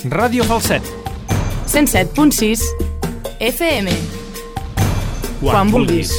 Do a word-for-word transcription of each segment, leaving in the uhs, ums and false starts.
Ràdio Falset. cent set punt sis F M. Quan, Quan vulguis.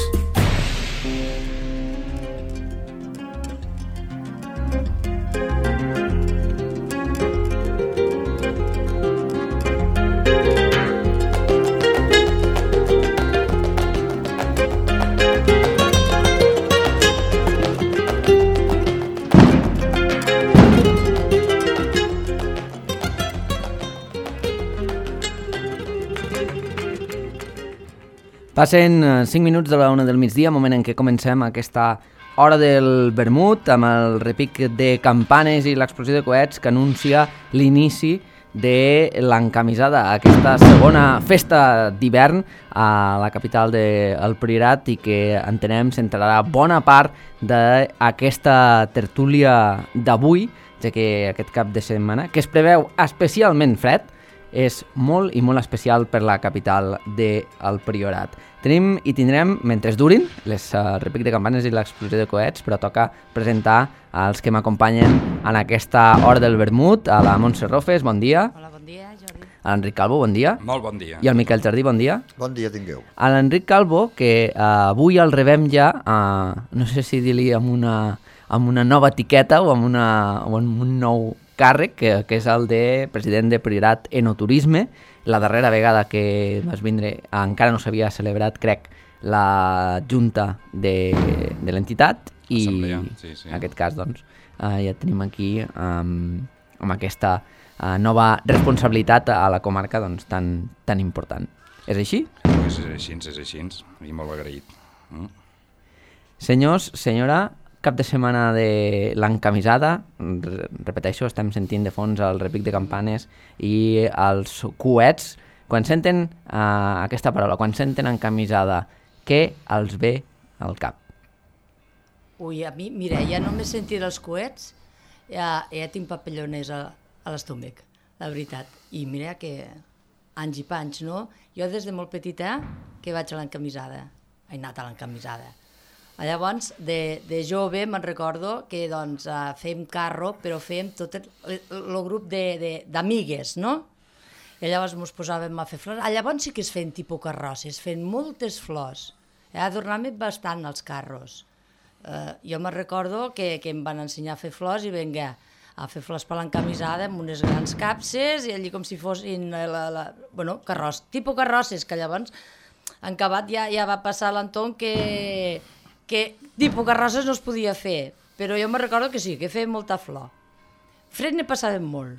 Passen cinc minuts de la una del migdia, moment en què comencem aquesta hora del vermut amb el repic de campanes i l'explosió de coets que anuncia l'inici de l'encamisada, aquesta segona festa d'hivern a la capital del Priorat i que entenem centrarà bona part d'aquesta tertúlia d'avui, ja que aquest cap de setmana, que es preveu especialment fred, és molt i molt especial per la capital del Priorat. Tenim i tindrem, mentre durin, les uh, repic de campanes i l'explosió de coets, però toca presentar els que m'acompanyen en aquesta hora del vermut, a la Montse Rofes, bon dia. Hola, bon dia, Jordi. A l'Enric Calvo, bon dia. Molt bon dia. I al Miquel Jardí, bon dia. Bon dia tingueu. A l'Enric Calvo, que uh, avui el rebem ja, uh, no sé si dir-li amb una, amb una nova etiqueta o amb, una, o amb un nou càrrec, que, que és el de president de Priorat Enoturisme. La darrera vegada que vas vindre encara no s'havia celebrat, crec, la junta de, de l'entitat i sí, sí. en aquest cas doncs, uh, ja tenim aquí um, amb aquesta uh, nova responsabilitat a la comarca doncs, tan, tan important. És així? Pues és així, és així, i molt agraït. Mm? Senyors, senyora, cap de setmana de l'encamisada, repeteixo, estem sentint de fons el repic de campanes i els coets. Quan senten uh, aquesta paraula, quan senten encamisada, què els ve al cap? Ui, a mi, mira, ja només sentir els coets, ja, ja tinc papalloners a, a l'estómac, la veritat. I mira que anys i panys, no? Jo des de molt petita que vaig a l'encamisada, he anat a l'encamisada. Llavors, de, de jove me'n recordo que doncs, uh, fèiem carro, però fèiem tot el, el grup d'amigues, no? I llavors ens posàvem a fer flors. Ah, llavors sí que es feien tipus carrosses, feien moltes flors. Eh, adornàvem bastant els carros. Uh, jo me'n recordo que, que em van ensenyar a fer flors i vinga, a fer flors per l'encamisada amb unes grans capses i allí com si fossin la, la, bueno, carros, tipus carrosses, que llavors en acabat ja, ja va passar l'entorn que... que tipus carrosses no es podia fer, però jo me recordo que sí, que feia molta flor. Fred ne passàvem molt.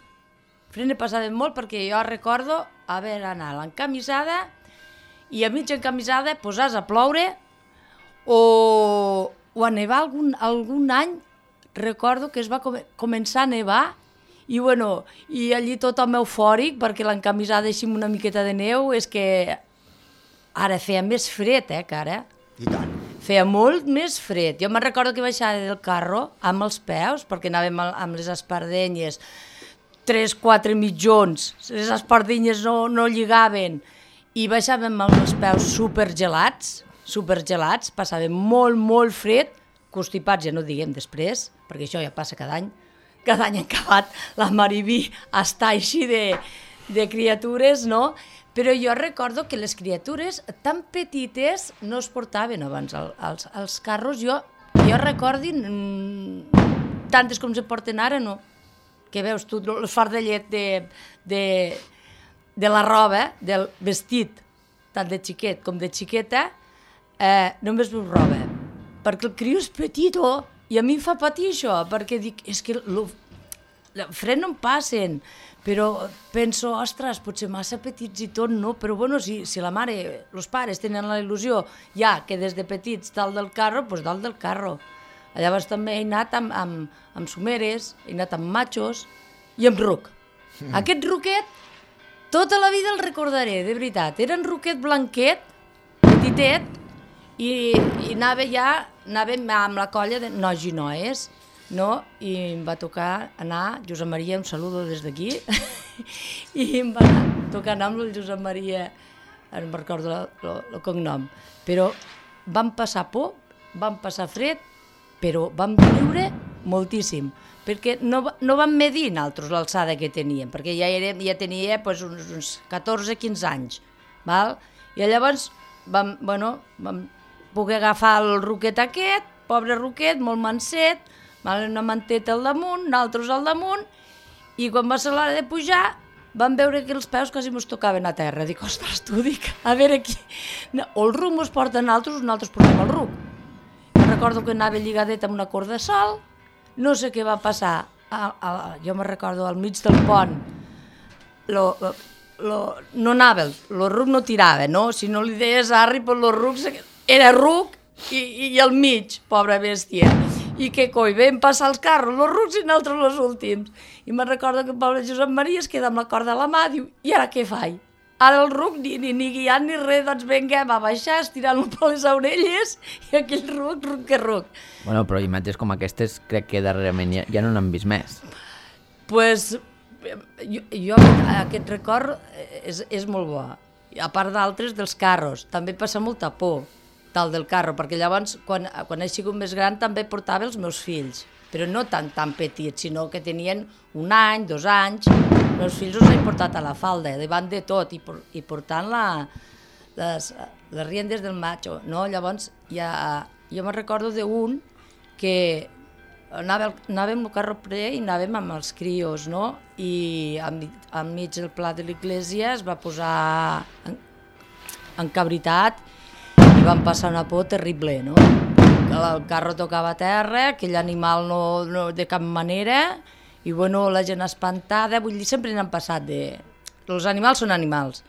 Fred ne passàvem molt perquè jo recordo haver anat a l'encamisada i a mitja encamisada posàs a ploure o, o a nevar algun, algun any, recordo que es va com començar a nevar i, bueno, i allí tothom eufòric perquè l'encamisada així amb una miqueta de neu és que ara feia més fred, eh, que ara. I tant. Feia molt més fred. Jo me'n recordo que baixava del carro amb els peus, perquè anàvem amb les espardenyes, tres, quatre mitjons, les espardenyes no, no lligaven, i baixàvem amb els peus supergelats, supergelats, passàvem molt, molt fred, constipats ja no diguem després, perquè això ja passa cada any, cada any en acabat la Mariví està així de, de criatures, no? Però jo recordo que les criatures tan petites no es portaven abans als, als carros. Jo, jo recordo mmm, tantes com se porten ara, no? Que veus tu, el fardellet de, de, de la roba, del vestit, tant de xiquet com de xiqueta, eh, només veus roba. Perquè el criu és petit, oh, i a mi em fa patir això, perquè dic, és que el fred no em passen, però penso, ostres, potser massa petits i tot, no? Però bueno, si, si la mare, els pares tenen la il·lusió ja que des de petits dalt del carro, doncs dalt del carro. Llavors també he anat amb, amb, amb someres, he anat amb machos i amb ruc. Mm. Aquest ruquet, tota la vida el recordaré, de veritat. Era un ruquet blanquet, petitet, i, i anava ja, anàvem amb la colla de nois i noies, no? I em va tocar anar, Josep Maria, un saludo des d'aquí, i em va tocar anar amb el Josep Maria, no em recordo el cognom, però vam passar por, vam passar fred, però vam viure moltíssim, perquè no, no vam medir nosaltres l'alçada que teníem, perquè ja, érem, ja tenia pues, uns, uns catorze quinze anys, val? I llavors vam, bueno, vam poder agafar el ruquet aquest, pobre ruquet, molt manset, val? Una manteta al damunt, nosaltres al damunt, i quan va ser l'hora de pujar, vam veure que els peus quasi mos tocaven a terra. Dic, ostres, tu, dic, a veure aquí, o el ruc mos porta a nosaltres o nosaltres portem el ruc. Jo recordo que anava lligadet amb una corda de sol, no sé què va passar, a, a, jo me recordo al mig del pont, lo, lo, no anava, el ruc no tirava, no? Si no li deies arri, pues el ruc era ruc i, i al mig, pobra bèstia. I què coi, vam passar els carros, els rucs i nosaltres els últims. I me recordo que el pobre Josep Maria es queda amb la corda a la mà, diu, i ara què faig? Ara el ruc, ni, ni, ni guiant ni res, doncs vinga, va baixar, estirant-lo per les orelles, i aquell ruc, ruc que ruc. Bueno, però imatges com aquestes crec que darrerament ja, ja no n'han vist més. Pues, jo, jo aquest record és, és molt bo. A part d'altres, dels carros. També passa molta por, tal del carro, perquè llavors, quan, quan he sigut més gran, també portava els meus fills, però no tan, tan petits, sinó que tenien un any, dos anys. Els meus fills els he portat a la falda, davant de tot, i, por, i portant la, les, les riendes del macho, no? Llavors, ja, jo me'n recordo d'un que anava, anàvem al carro pre i anàvem amb els crios, no? I enmig del pla de l'església es va posar en, encabritat i van passar una por terrible, no? El carro tocava a terra, aquell animal no, no de cap manera, i bueno, la gent espantada, vull dir, sempre n'han passat de... Els animals són animals.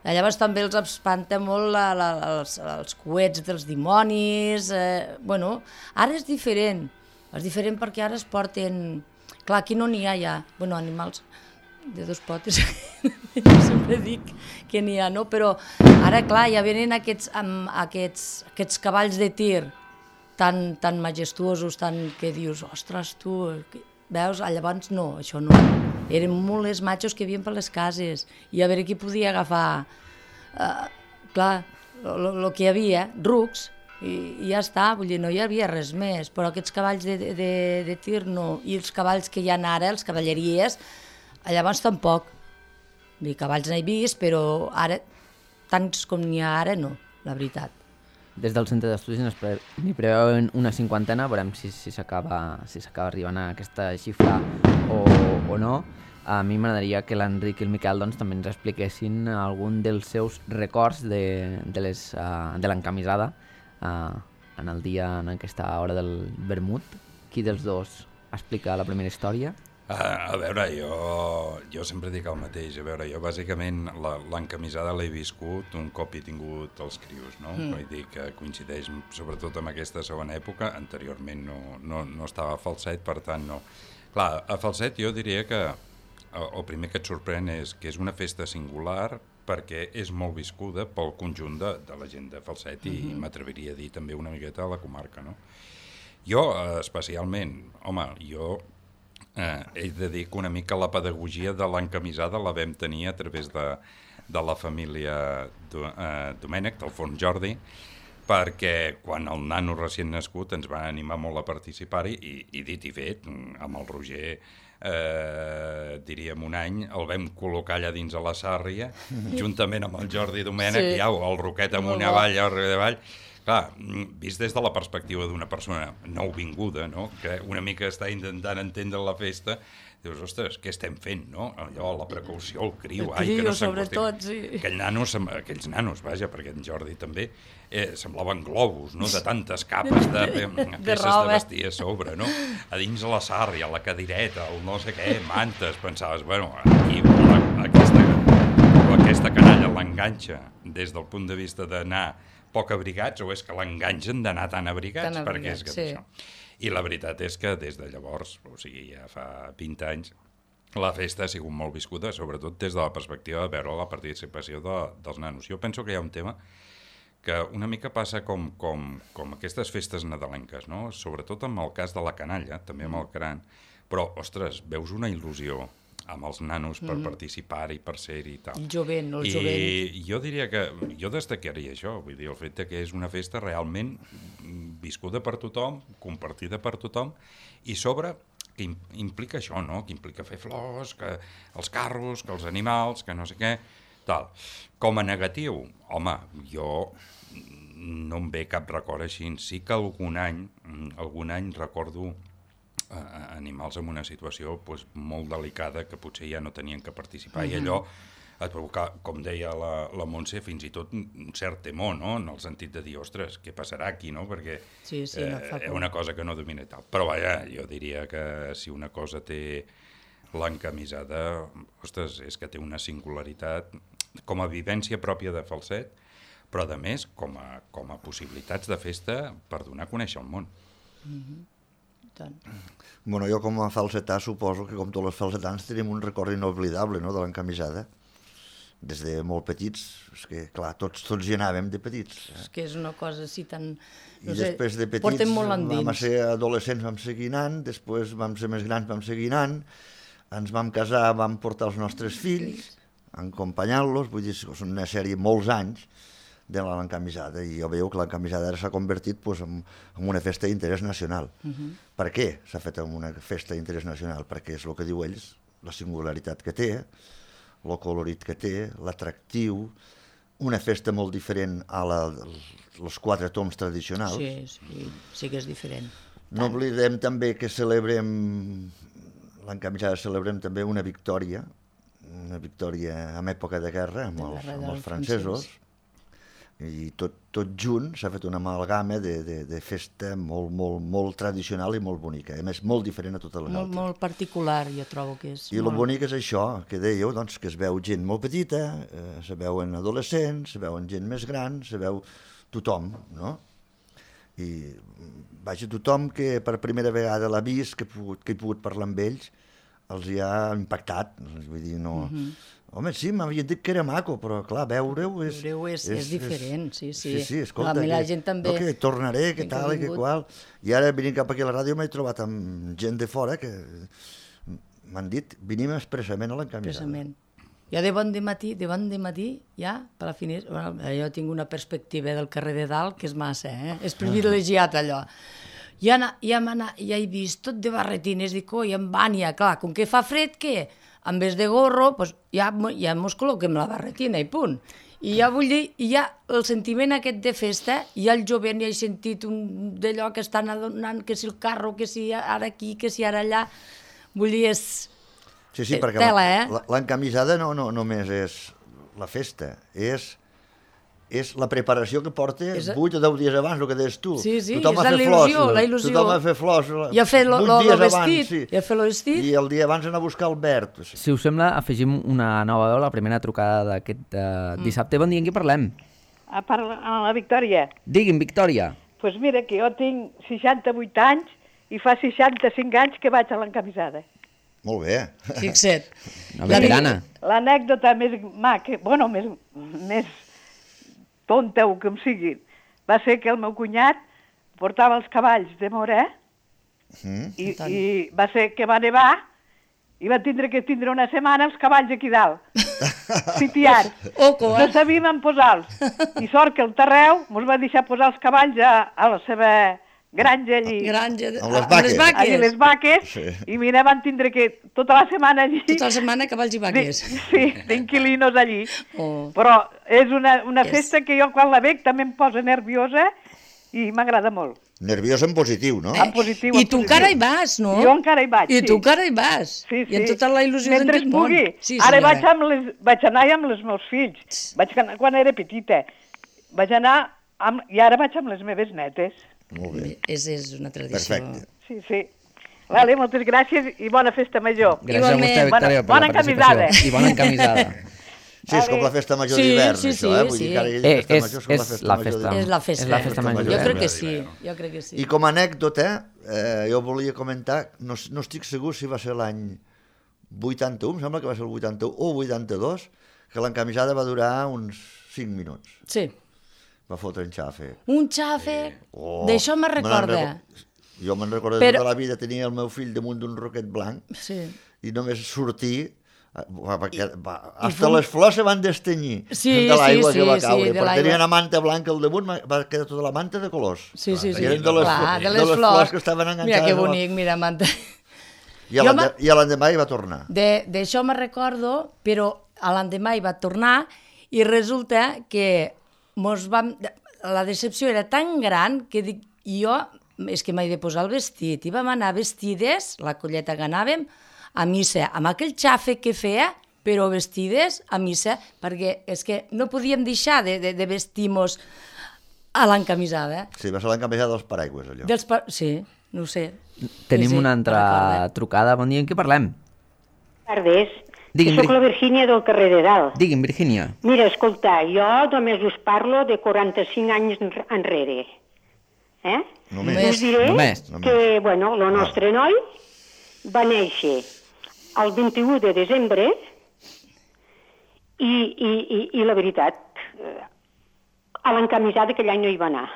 I llavors també els espanta molt la, la, els, els coets dels dimonis, eh, bueno, ara és diferent, és diferent perquè ara es porten... Clar, aquí no n'hi ha ja, bueno, animals de dos potes, jo sempre dic que n'hi ha, no? Però ara, clar, ja venen aquests, amb aquests, aquests cavalls de tir tan, tan majestuosos, tan que dius, ostres, tu... Veus? Llavors no, això no. Eren molt els matxos que hi havia per les cases i a veure qui podia agafar. Uh, clar, el que hi havia, rucs, i, i ja està, vull dir, no hi havia res més, però aquests cavalls de, de, de tir no, i els cavalls que hi ha ara, els cavalleries, llavors tampoc. Vull dir, cavalls n'he vist, però ara, tants com n'hi ha ara, no, la veritat. Des del centre d'estudis n'hi preveuen una cinquantena, veurem si, si s'acaba si s'acaba arribant a aquesta xifra o, o no. A mi m'agradaria que l'Enric i el Miquel doncs, també ens expliquessin algun dels seus records de, de, les, uh, de l'encamisada uh, en el dia, en aquesta hora del vermut. Qui dels dos explica la primera història? Uh, a veure, jo, jo sempre dic el mateix. A veure, jo bàsicament la, l'encamisada l'he viscut un cop he tingut els crios, no? Mm. Vull dir que coincideix sobretot amb aquesta segona època. Anteriorment no, no, no estava a Falset, per tant no. Clar, a Falset jo diria que el primer que et sorprèn és que és una festa singular perquè és molt viscuda pel conjunt de, de la gent de Falset i mm-hmm. m'atreviria a dir també una miqueta a la comarca, no? Jo, especialment, home, jo... Eh, he de dir que una mica la pedagogia de l'encamisada la vam tenir a través de, de la família do, eh, Domènech, del Fons Jordi, perquè quan el nano recient nascut ens va animar molt a participar-hi i, i dit i fet, amb el Roger, eh, diríem un any, el vam col·locar allà dins a la Sàrria, juntament amb el Jordi Domènech, sí. I au, el Roquet amunt i avall, el Roquet avall. Clar, vist des de la perspectiva d'una persona nouvinguda, no? Que una mica està intentant entendre la festa, dius, ostres, què estem fent, no? Allò, la precaució, el criu, el ai, que no sobretot, sí. Aquell nano, aquells nanos, vaja, perquè en Jordi també, eh, semblaven globus, no? De tantes capes de, de, de peces de vestir a sobre, no? A dins la sàrria, la cadireta, el no sé què, mantes, pensaves, bueno, aquí la, aquesta, aquesta canalla l'enganxa des del punt de vista d'anar poc abrigats, o és que l'enganxen d'anar tan abrigats, tan perquè és que sí. Això. I la veritat és que des de llavors, o sigui, ja fa vint anys, la festa ha sigut molt viscuda, sobretot des de la perspectiva de veure la participació de, dels nanos. Jo penso que hi ha un tema que una mica passa com, com, com aquestes festes nadalenques, no? Sobretot amb el cas de la canalla, també amb el cran, però, ostres, veus una il·lusió amb els nanos per mm. participar-hi, per ser-hi i tal. El jovent, el I jovent. I jo diria que, jo destacaria això, vull dir, el fet que és una festa realment viscuda per tothom, compartida per tothom, i sobre que implica això, no? Que implica fer flors, que els carros, que els animals, que no sé què, tal. Com a negatiu, home, jo no em ve cap record així. Sí que algun any, algun any recordo eh, animals en una situació pues, molt delicada que potser ja no tenien que participar, mm-hmm. i allò et provocar, com deia la, la Montse, fins i tot un cert temor, no? En el sentit de dir, ostres, què passarà aquí, no? Perquè sí, sí, no fa és eh, una cosa que no domina i tal. Però vaja, jo diria que si una cosa té l'encamisada, ostres, és que té una singularitat com a vivència pròpia de Falset, però a més com a, com a possibilitats de festa per donar a conèixer el món. Mm-hmm. Tant. Bueno, jo com a falsetà suposo que com tots els falsetans tenim un record inoblidable, no?, de l'encamisada. Des de molt petits, és que clar, tots, tots hi anàvem de petits. Eh? És que és una cosa així tan... No I sé, després de petits vam ser adolescents, vam seguir anant, després vam ser més grans, vam seguir anant, ens vam casar, vam portar els nostres fills, acompanyant-los, vull dir, són una sèrie molts anys de l'encamisada, i jo veieu que l'encamisada ara s'ha convertit pues, en, en una festa d'interès nacional. Uh-huh. Per què s'ha fet en una festa d'interès nacional? Perquè és el que diu ells, la singularitat que té, el colorit que té, l'atractiu, una festa molt diferent a la, els quatre toms tradicionals. Sí, sí, sí que és diferent. No oblidem també que celebrem, l'encamisada celebrem també una victòria, una victòria en època de guerra amb els, amb els francesos, i tot, tot junt s'ha fet una amalgama de, de, de festa molt, molt, molt tradicional i molt bonica, a més molt diferent a totes les molt, altres. Molt particular, jo trobo que és. I molt... el bonic és això, que dèieu, doncs, que es veu gent molt petita, eh, se veuen adolescents, se veuen gent més gran, se veu tothom, no? I vaja, tothom que per primera vegada l'ha vist, que he pogut, que he pogut parlar amb ells, els hi ha impactat, vull dir, no... Mm-hmm. Home, sí, m'havien dit que era maco, però clar, veure-ho és... Veure-ho és, és, és diferent, sí, sí. Sí, sí, escolta, la, que, la gent també... No, que tornaré, que tal i que qual. I ara, venint cap aquí a la ràdio, m'he trobat amb gent de fora que m'han dit, venim expressament a l'encamisada. Expressament. Jo de bon de matí, de bon de matí, ja, per la finestra... Bueno, jo tinc una perspectiva del carrer de dalt que és massa, eh? És privilegiat, allò. Ja, ja, ja he vist tot de barretines, dic, oi, en Vània, clar, com que fa fred, què? En vez de gorro, pues ja, ja mos col·loquem la barretina i punt. I ja vull dir, i ja el sentiment aquest de festa, ja el jovent ja he sentit un d'allò que estan adonant, que si el carro, que si ara aquí, que si ara allà, vull dir, és... Sí, sí, perquè tela, eh? l'encamisada no, no només és la festa, és... és la preparació que porta és... vuit o deu dies abans, el que deies tu. Sí, sí, tothom és la il·lusió, la il·lusió. Tothom ha fet flors i ha fet lo, lo, lo vestit, abans, sí. I ha fet lo vestit. I el dia abans anar a buscar el verd. Sí. Si us sembla, afegim una nova veu, la primera trucada d'aquest uh, dissabte. Bon dia, en qui parlem? A, part, a la Victòria. Digui'm, Victòria. Doncs pues mira, que jo tinc seixanta-vuit anys i fa seixanta-cinc anys que vaig a l'encamisada. Molt bé. Fixa't. Una veterana. L'anècdota més maca, bueno, més... més tonta o com sigui, va ser que el meu cunyat portava els cavalls de Morè mm. i, i va ser que va nevar i va tindre que tindre una setmana els cavalls aquí dalt, sitiats. Oco, eh? No sabíem on posar-los. I sort que el Terreu mos va deixar posar els cavalls a, a la seva granja allí. Granja, amb les vaques. Les vaques. Allí les vaques, sí. I mira, van tindre que tota la setmana allí... Tota la setmana cavalls i vaques. De, sí, d'inquilinos allí. Oh. Però és una, una yes. festa que jo quan la veig també em posa nerviosa i m'agrada molt. Nerviós en positiu, no? Eh? En positiu, I en tu positiu. encara hi vas, no? Jo encara hi vaig, I sí. tu encara hi vas. Sí, sí. I amb tota la il·lusió mentre d'aquest món. pugui. Sí, ara senyora. vaig, amb les, vaig anar amb els meus fills. Vaig anar quan era petita. Vaig anar amb, i ara vaig amb les meves netes. Molt bé. És, és una tradició. Perfecte. Sí, sí. Vale, moltes gràcies i bona festa major. Gràcies a vostè, Victòria, per bona la participació. encamisada. I bona encamisada. Sí, és com la festa major Sí, d'hivern, sí, això, sí, eh? Vull sí. dir que ara hi ha Eh, festa és- major, és com la és festa la major festa. d'hivern. És la festa. És la festa major. Jo crec que d'hivern. sí, jo crec que sí. I com a anècdota, eh, jo volia comentar, no, no estic segur si va ser l'any vuitanta-u, em sembla que va ser el vuitanta-u o vuitanta-dos, que l'encamisada va durar uns cinc minuts. Sí. Va fotre en xafe. Un xafe, Oh, això me'n me n'en recorda. reco- Jo me'n recordo Però- tota la vida, tenia el meu fill damunt d'un roquet blanc Sí. i només sortir, va, va, va, i hasta fum- les flors se van destenyir Sí, de l'aigua sí, que va sí, caure, sí, de perquè l'aigua. tenia una manta blanca al damunt, va quedar tota la manta de colors. Sí, sí, sí. I eren de les, Clar, de les flors que estaven enganxades. Mira que a la- bonic, mira, manta. I l'endemà hi va tornar. D'això me recordo, però l'endemà hi va tornar i resulta que mos vam... la decepció era tan gran que dic, jo és que m'he de posar el vestit i vam anar vestides, la colleta que anàvem, a missa, amb aquell xafe que feia, però vestides a missa, perquè és que no podíem deixar de, de, de vestir-nos a l'encamisada. Sí, va ser l'encamisada dels paraigües, allò. Dels pa... Sí, no ho sé. Tenim sí, sí, una altra trucada. Bon dia, en què parlem? Tardes. Digui'm, Soc la Virgínia del carrer de Dalt. Digui'm, Virgínia. Mira, escolta, jo només us parlo de quaranta-cinc anys enrere. Eh? Només. Us diré Només. que, bueno, el nostre noi va néixer el vint-i-u de desembre i, i, i, i la veritat, a l'encamisada aquell any no hi va anar.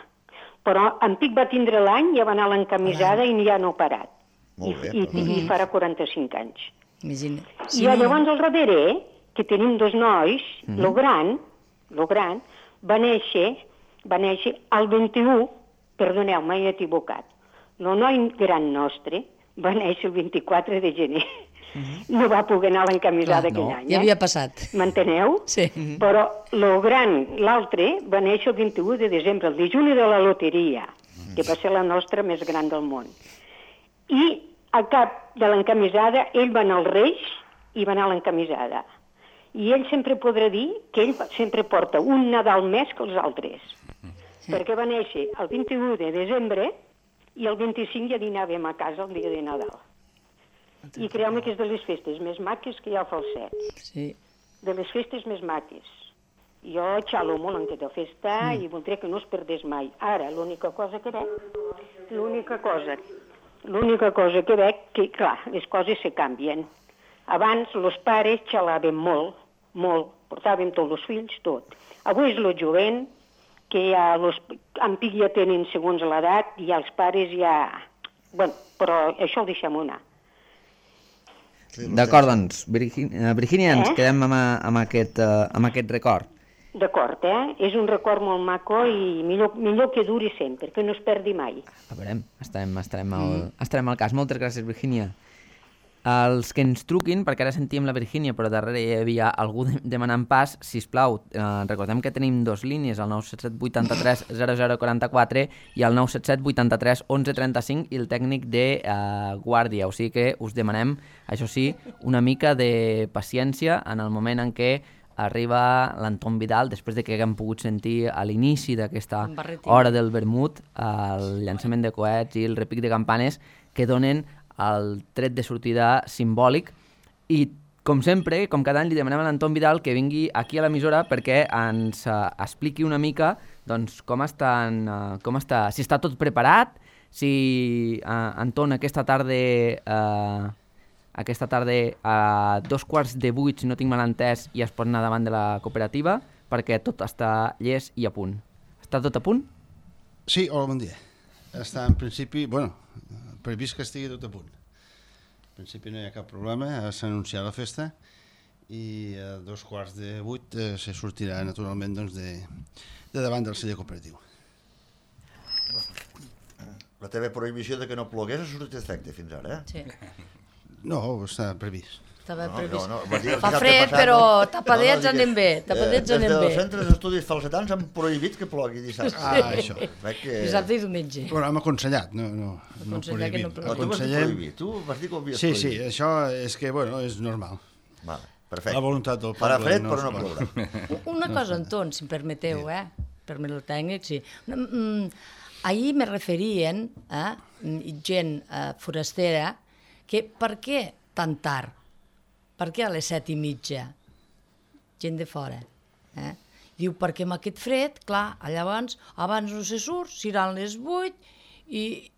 Però en Pic va tindre l'any, ja va anar a l'encamisada i ja no ha parat. Molt bé. I, i, i farà quaranta-cinc anys. Imagina. Sí, I llavors al darrere, que tenim dos nois, mm -hmm. lo gran, lo gran, va néixer, va néixer el vint-i-u, perdoneu, m'he equivocat, el noi gran nostre va néixer el vint-i-quatre de gener. Mm -hmm. No va poder anar a l'encamisada aquell no, any. Ja eh? havia passat. M'enteneu? Sí. Mm -hmm. Però lo gran, l'altre, va néixer el vint-i-u de desembre, el dijuni de la loteria, mm -hmm. que va ser la nostra més gran del món. I al cap de l'encamisada, ell va anar als Reis i va anar a l'encamisada. I ell sempre podrà dir que ell sempre porta un Nadal més que els altres. Sí. Perquè va néixer el vint-i-u de desembre i el vint-i-cinc ja dinàvem a casa el dia de Nadal. I creu-me que és de les festes més maques que hi ha al Falset. Sí. De les festes més maques. Jo xalo molt en aquesta festa mm. i voldria que no es perdés mai. Ara, l'única cosa que veig, l'única cosa L'única cosa que veig que, clar, les coses se canvien. Abans, els pares xalaven molt, molt, portaven tots els fills, tot. Avui és el jovent, que ja los, en Pic ja tenen segons l'edat, i els pares ja... Bueno, però això ho deixem anar. Sí, d'acord, doncs, Virgínia, Virgínia ens eh? quedem amb, amb, aquest, uh, amb aquest record. D'acord, eh? És un record molt maco i millor, millor que duri sempre, que no es perdi mai. A veure, estarem, estarem, al, mm. estarem al cas. Moltes gràcies, Virgínia. Els que ens truquin, perquè ara sentíem la Virgínia, però darrere hi havia algú demanant pas, sisplau, eh, recordem que tenim dos línies, el nou set set vuitanta-tres zero zero quaranta-quatre i el nou set set vuitanta-tres onze trenta-cinc i el tècnic de eh, guàrdia. O sigui que us demanem, això sí, una mica de paciència en el moment en què arriba l'Anton Vidal, després de que haguem pogut sentir a l'inici d'aquesta hora del vermut el llançament de coets i el repic de campanes que donen el tret de sortida simbòlic. I, com sempre, com cada any, li demanem a l'Anton Vidal que vingui aquí a l'emissora perquè ens uh, expliqui una mica doncs, com, estan, uh, com està, si està tot preparat, si, uh, Anton, aquesta tarda... Uh, aquesta tarda a dos quarts de vuit, si no tinc mal entès, ja es pot anar davant de la cooperativa, perquè tot està llest i a punt. Està tot a punt? Sí, hola, bon dia. Està en principi, bueno, previst que estigui tot a punt. En principi no hi ha cap problema, s'ha anunciat la festa i a dos quarts de vuit eh, se sortirà naturalment doncs, de, de davant del celler cooperatiu. La teva prohibició de que no plogués ha sortit d'efecte fins ara, eh? Sí. No, està previst. Estava no, previst. No, no, dir, fa fred, passat, però no? tapadets no, no, anem bé. Tapadets eh, anem bé. Els centres d'estudis falsetans han prohibit que plogui dissabte. Ah, això. Que... Dissabte i diumenge. Bueno, hem aconsellat, no, no, no prohibit. No, no, tu vas dir prohibit, tu vas dir que ho havies sí, prohibit. Sí, sí, això és que, bueno, és normal. Vale, perfecte. La voluntat del poble. Farà fred, no però no plourà. Una cosa, Anton, si em permeteu, sí. eh? Permet el tècnic, sí. Mm, ahir me referien a eh, gent eh, forastera que per què tan tard? Per què a les set i mitja? Gent de fora. Eh? Diu, perquè amb aquest fred, clar, llavors, abans no se surt, seran les vuit, i,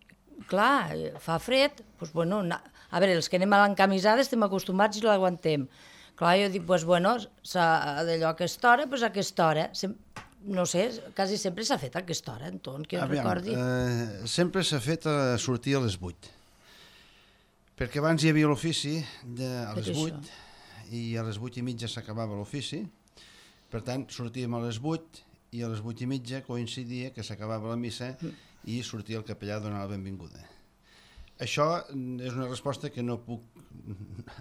clar, fa fred, doncs, bueno, na... a veure, els que anem a l'encamisada estem acostumats i l'aguantem. Clar, jo dic, doncs, bueno, d'allò a aquesta hora, doncs a aquesta hora. Sem... No sé, quasi sempre s'ha fet a aquesta hora, Anton, que Aviam, recordi. Eh, sempre s'ha fet a sortir a les vuit. Perquè abans hi havia l'ofici a les vuit i a les vuit i mitja s'acabava l'ofici. Per tant, sortíem a les vuit i a les vuit i mitja coincidia que s'acabava la missa i sortia el capellà a donar la benvinguda. això és una resposta que no puc,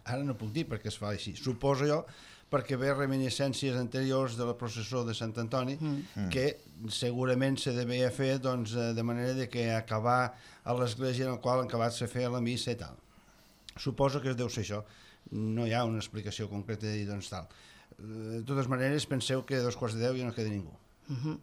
ara no puc dir perquè es fa així. Suposo jo perquè ve reminiscències anteriors de la processó de Sant Antoni, mm. que segurament se devia fer doncs, de manera de que acabar a l'església en la qual acabat se feia la missa i tal. Suposo que es deu ser això. No hi ha una explicació concreta de dir doncs tal. De totes maneres, penseu que a dos quarts de deu ja no queda ningú. Mm-hmm.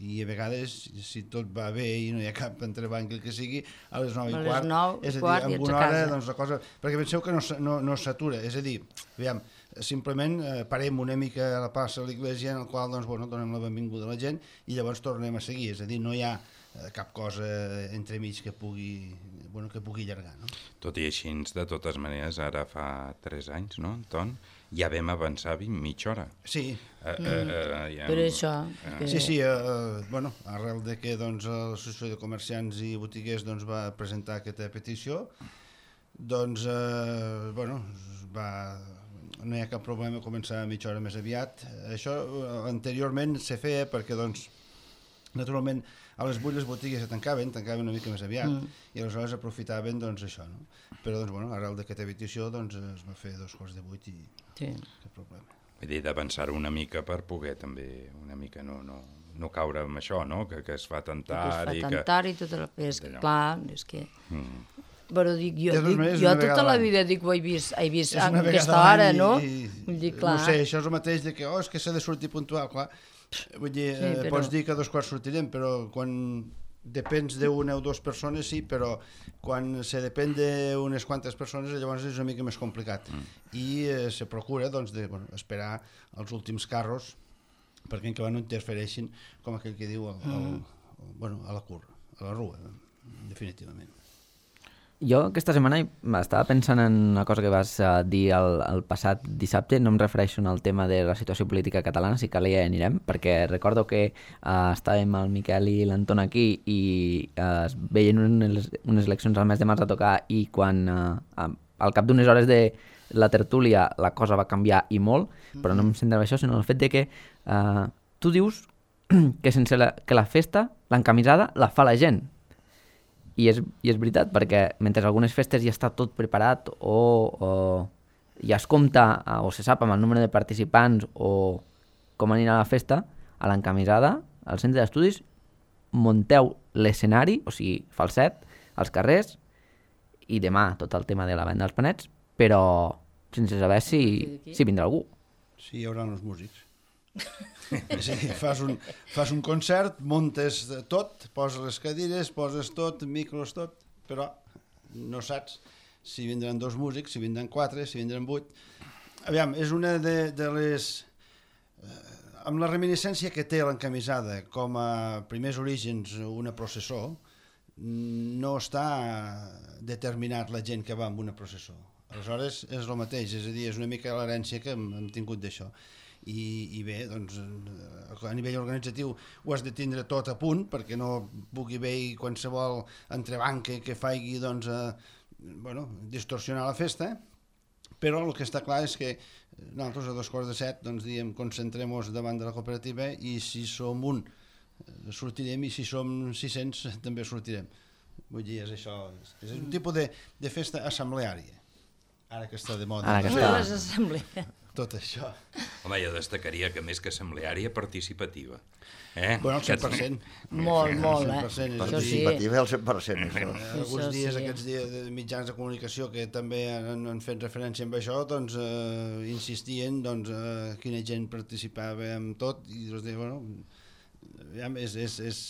I a vegades, si tot va bé i no hi ha cap entrebanc que sigui, a les nou i quart, és a dir, en una hora, doncs la cosa... Perquè penseu que no, no, no s'atura, és a dir, aviam, simplement eh, parem una mica a la plaça de l'església en el qual doncs, bueno, donem la benvinguda a la gent i llavors tornem a seguir, és a dir, no hi ha eh, cap cosa entremig que pugui, bueno, que pugui allargar. No? Tot i així, de totes maneres, ara fa tres anys, no, Anton? Ja vam avançar vint mitja hora. Sí. Uh, uh, uh, ja, per això. Uh, que... Sí, sí, uh, bueno, arrel de que doncs, l'Associació de Comerciants i Botiguers doncs, va presentar aquesta petició, doncs, uh, bueno, va... no hi ha cap problema a començar mitja hora més aviat. Això uh, anteriorment se feia perquè, doncs, naturalment, a les vuit les botigues se tancaven, tancaven una mica més aviat, mm. i aleshores aprofitaven, doncs, això, no? Però, doncs, bueno, arrel d'aquesta petició, doncs, es va fer dos quarts de vuit i sí. Cap problema. Vull dir, d'avançar una mica per poder també, una mica no, no, no caure amb això, no? Que, que es fa tentar que es fa i tentar que... i tot el... És que, clar, és que... Mm. Però dic, jo, dic, jo tota la vida dic, ho he vist, he vist a aquesta hora, no? I, dic, clar. No sé, això és el mateix de que, oh, és que s'ha de sortir puntual, clar. Vull dir, sí, però... pots dir que a dos quarts sortirem, però quan depens d'una o dues persones sí, però quan se depèn d'unes quantes persones llavors és una mica més complicat. Mm. I eh, se procura doncs, de, bueno, esperar els últims carros perquè encara no interfereixin, com aquell que diu, el, el, el, bueno, a la curva, a la rua, definitivament. Jo aquesta setmana estava pensant en una cosa que vas uh, dir el, el passat dissabte, no em refereixo al tema de la situació política catalana, si cal ja anirem, perquè recordo que uh, estàvem el Miquel i l'Anton aquí i uh, es veien unes, unes eleccions al mes de març a tocar i quan uh, al cap d'unes hores de la tertúlia la cosa va canviar i molt, però no em centrava això, sinó el fet de que uh, tu dius que sense la, que la festa, l'encamisada, la fa la gent. I és, I és veritat, perquè mentre algunes festes ja està tot preparat o, o ja es compta o se sap amb el nombre de participants o com anirà la festa, a l'encamisada, al centre d'estudis, munteu l'escenari, o sigui, falset, als carrers, i demà tot el tema de la venda dels panets, però sense saber si, si vindrà algú. Sí, hi haurà els músics. És a dir, fas un, fas un concert, muntes tot, poses les cadires, poses tot, micros, tot, però no saps si vindran dos músics, si vindran quatre, si vindran vuit. Aviam, és una de, de les... Eh, amb la reminiscència que té l'encamisada com a primers orígens una processó, no està determinat la gent que va amb una processó. Aleshores és el mateix, és a dir, és una mica l'herència que hem, hem tingut d'això. I, i bé, doncs, a nivell organitzatiu ho has de tindre tot a punt perquè no pugui haver qualsevol entrebanc que, que faci doncs, eh, bueno, distorsionar la festa, però el que està clar és que nosaltres a dos quarts de set doncs, diem, concentrem-nos davant de la cooperativa i si som un sortirem i si som sis-cents també sortirem. Vull dir, és això, és un tipus de, de festa assembleària, ara que està de moda. Ara que està. Les assemblees. Tot això. Home, jo destacaria que més que assembleària, participativa. Eh? Bueno, el cent per cent. Molt, molt, eh? Participativa, el cent per cent. Això. Alguns dies, aquests dies de mitjans de comunicació que també han, han fet referència amb això, doncs eh, insistien doncs, eh, quina gent participava en tot i doncs, bueno, ja, és, és, és,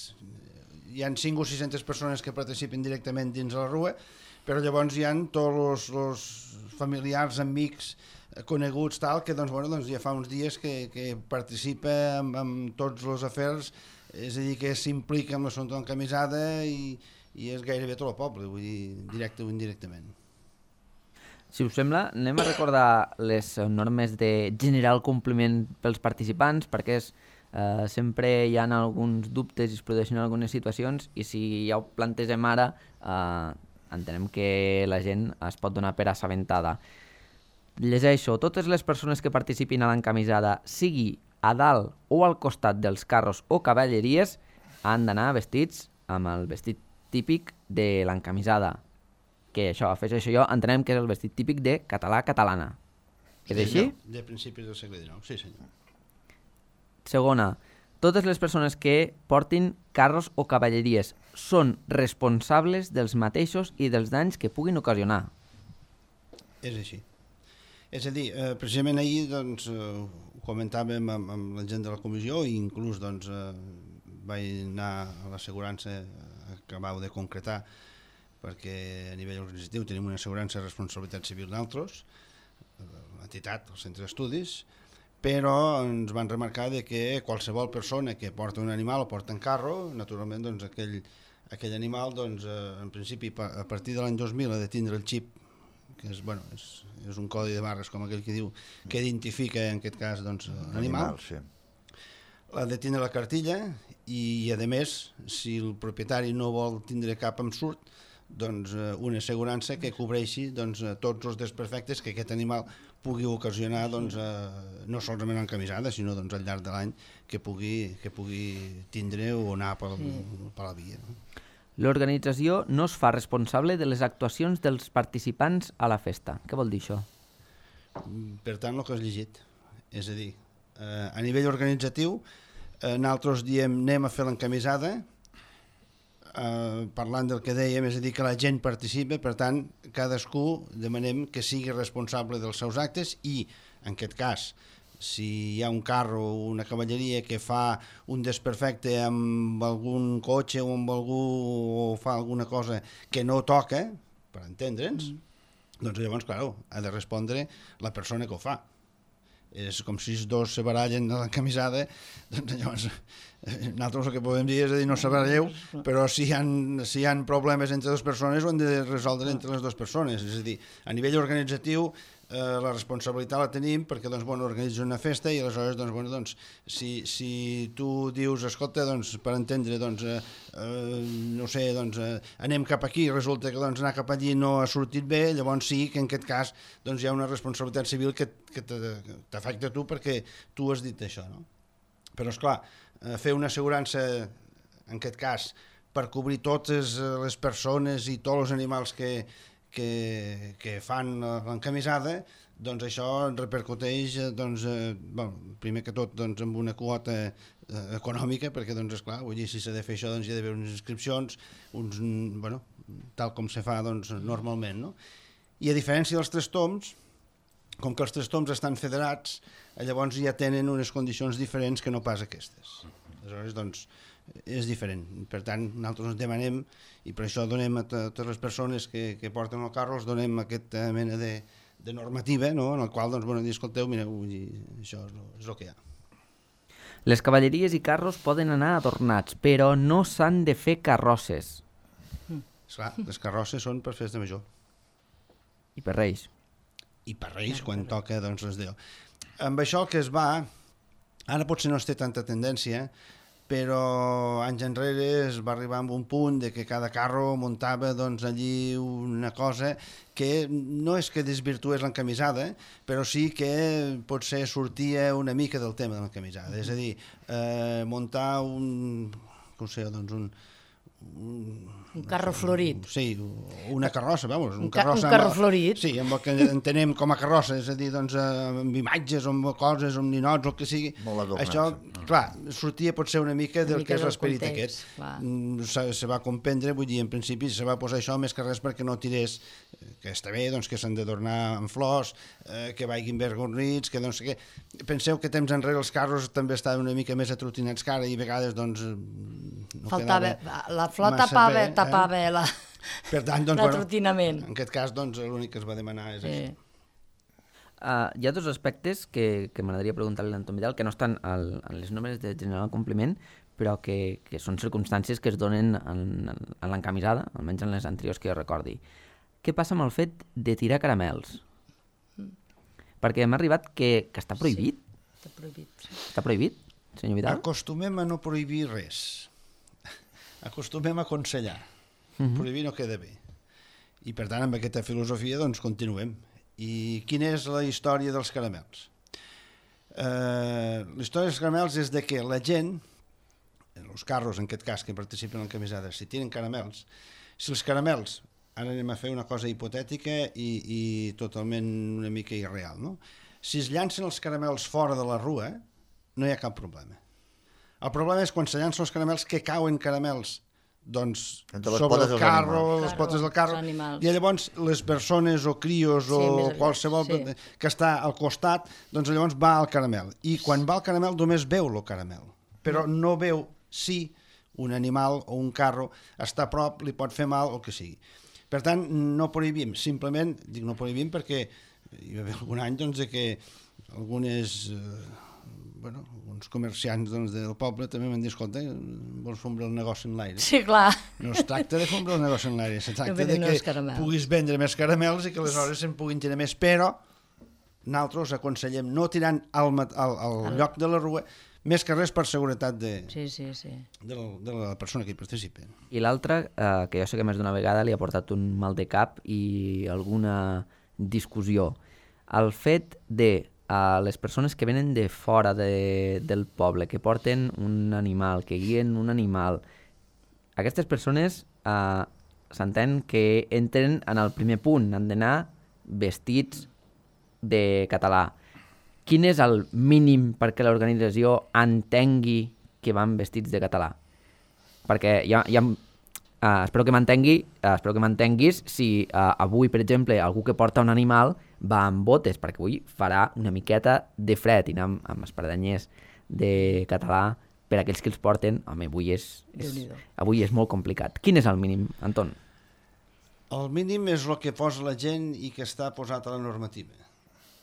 hi ha cinc o sis-centes persones que participen directament dins la rua, però llavors hi ha tots els familiars, amics, coneguts tal, que doncs, bueno, doncs ja fa uns dies que, que participa amb, amb tots els afers, és a dir, que s'implica amb l'assumpte d'encamisada i, i és gairebé tot el poble, vull dir, directe o indirectament. Si us sembla, anem a recordar les normes de general compliment pels participants, perquè és, eh, sempre hi ha alguns dubtes i es produeixen algunes situacions i si ja ho plantegem ara, eh, entenem que la gent es pot donar per assabentada. Llegeixo, totes les persones que participin a l'encamisada, sigui a dalt o al costat dels carros o cavalleries, han d'anar vestits amb el vestit típic de l'encamisada. que això, afegeixo jo, entenem que és el vestit típic de català-catalana. És sí, així? No, de principis del segle dinou, sí senyor. Segona, totes les persones que portin carros o cavalleries són responsables dels mateixos i dels danys que puguin ocasionar. És així. És a dir, eh, precisament ahir doncs, eh, ho comentàvem amb, amb la gent de la comissió i inclús doncs, eh, vaig anar a l'assegurança que acabau de concretar perquè a nivell organitzatiu tenim una assegurança de responsabilitat civil d'altres, l'entitat, el centre d'estudis, però ens van remarcar de que qualsevol persona que porta un animal o porta un carro, naturalment doncs, aquell, aquell animal doncs, eh, en principi a partir de l'any dos mil ha de tindre el xip, que és, bueno, és, és un codi de barres com aquell que diu, que identifica en aquest cas doncs, l'animal, sí. Ha de tindre la cartilla i a més, si el propietari no vol tindre cap ensurt, doncs una assegurança que cobreixi doncs, tots els desperfectes que aquest animal pugui ocasionar doncs, eh, no solament en camisada, sinó doncs, al llarg de l'any que pugui, que pugui tindre o anar per, sí. per la via. No? L'organització no es fa responsable de les actuacions dels participants a la festa. Què vol dir això? Per tant, el que has llegit. És a dir, eh, a nivell organitzatiu, eh, nosaltres diem anem a fer l'encamisada, eh, parlant del que dèiem, és a dir, que la gent participa, per tant, cadascú demanem que sigui responsable dels seus actes i, en aquest cas, si hi ha un carro o una cavalleria que fa un desperfecte amb algun cotxe o amb algú o fa alguna cosa que no toca, per entendre'ns, mm. doncs llavors, clar, ha de respondre la persona que ho fa. És com si els dos se barallen a la camisada, doncs llavors nosaltres el que podem dir és a dir no se baralleu, però si hi ha, si hi ha problemes entre dues persones ho han de resoldre entre les dues persones. És a dir, a nivell organitzatiu eh, la responsabilitat la tenim perquè doncs, bueno, organitzes una festa i aleshores doncs, bueno, doncs, si, si tu dius, escolta, doncs, per entendre, doncs, eh, eh, no sé, doncs, eh, anem cap aquí i resulta que doncs, anar cap allí no ha sortit bé, llavors sí que en aquest cas doncs, hi ha una responsabilitat civil que, que t'afecta a tu perquè tu has dit això, no? Però, esclar, fer una assegurança, en aquest cas, per cobrir totes les persones i tots els animals que, que, que fan l'encamisada, doncs això repercuteix, doncs, eh, bueno, primer que tot, doncs, amb una quota eh, econòmica, perquè, doncs, esclar, vull dir, si s'ha de fer això, doncs, hi ha d'haver unes inscripcions, uns, bueno, tal com se fa, doncs, normalment, no? I a diferència dels tres toms, com que els tres toms estan federats, llavors ja tenen unes condicions diferents que no pas aquestes. Aleshores, doncs, és diferent. Per tant, nosaltres ens demanem, i per això donem a totes les persones que, que porten el carro, els donem aquesta mena de, de normativa, no? En el qual, doncs, bueno, dir, escolteu, mireu, això és el, és el que hi ha. Les cavalleries i carros poden anar adornats, però no s'han de fer carrosses. Esclar, les carrosses són per festa major. I per Reis. I per Reis, quan toca, doncs, les Déu. Amb això que es va, ara potser no es té tanta tendència, però anys enrere es va arribar a un punt de que cada carro muntava doncs, allí una cosa que no és que desvirtués l'encamisada, però sí que potser sortia una mica del tema de l'encamisada. És a dir, eh, muntar un, com sé, doncs un, un, un carro florit. Sí, una carrossa, vamos. Un, un, ca un carro amb, florit. Sí, amb el que entenem com a carrossa, és a dir, doncs, amb imatges, amb coses, amb ninots, el que sigui. Això, clar, sortia potser una mica del una mica que és l'esperit aquest. Se, se va comprendre, vull dir, en principi se va posar això més que res perquè no tirés, que està bé, doncs, que s'han d'adornar amb flors, eh, que vagin ben gornits, que doncs, que... Penseu que temps enrere els carros també estaven una mica més atrotinats que ara i a vegades, doncs, no faltava, la flor tapava, bé, tapava eh? la, per tant, doncs, l'atrotinament. Bueno, en aquest cas, doncs, l'únic que es va demanar és sí. Això. Uh, hi ha dos aspectes que, que m'agradaria preguntar-li a l'Anton Vidal, que no estan al, en les normes de general compliment, però que, que són circumstàncies que es donen en, en l'encamisada, almenys en les anteriors que jo recordi. Què passa amb el fet de tirar caramels? Mm. Perquè m'ha arribat que, que està prohibit. Sí, està prohibit. Sí. Està prohibit, senyor Vidal? Acostumem a no prohibir res. Acostumem a aconsellar. Uh-huh. Prohibir no queda bé. I per tant, amb aquesta filosofia, doncs, continuem. I quina és la història dels caramels? Eh, la història dels caramels és de que la gent, els carros en aquest cas que participen en camisades, si tiren caramels, si els caramels ara anem a fer una cosa hipotètica i, i totalment una mica irreal, no? Si es llancen els caramels fora de la rua, no hi ha cap problema. El problema és quan se llancen els caramels que cauen caramels doncs, sobre el carro, les potes del carro, i llavors les persones o crios o sí, qualsevol sí. que està al costat, doncs llavors va al caramel. I quan va al caramel només veu el caramel, però no veu si un animal o un carro està a prop, li pot fer mal o el que sigui. Per tant, no prohibim, simplement, dic no prohibim perquè hi va haver algun any doncs, que algunes... Eh, bueno, uns comerciants doncs, del poble també m'han dit, escolta, vols fondre el negoci en l'aire? Sí, clar. No es tracta de fondre el negoci en l'aire, es tracta no de que puguis vendre més caramels i que aleshores se'n puguin tirar més, però nosaltres aconsellem no tirant al, al, al el... lloc de la rua, més que res per seguretat de, sí, sí, sí. de, la, de la persona que hi participa. I l'altre, eh, que jo sé que més d'una vegada li ha portat un mal de cap i alguna discussió, el fet de a les persones que venen de fora de, del poble, que porten un animal, que guien un animal, aquestes persones eh, s'entén que entren en el primer punt, han d'anar vestits de català. Quin és el mínim perquè l'organització entengui que van vestits de català? Perquè hi ha... Hi ha Uh, espero que m'entengui, uh, espero que m'entenguis si uh, avui, per exemple, algú que porta un animal va amb botes, perquè avui farà una miqueta de fred i anar amb, amb espardenyers de català per a aquells que els porten. Home, avui és, és, avui és molt complicat. Quin és el mínim, Anton? El mínim és el que posa la gent i que està posat a la normativa.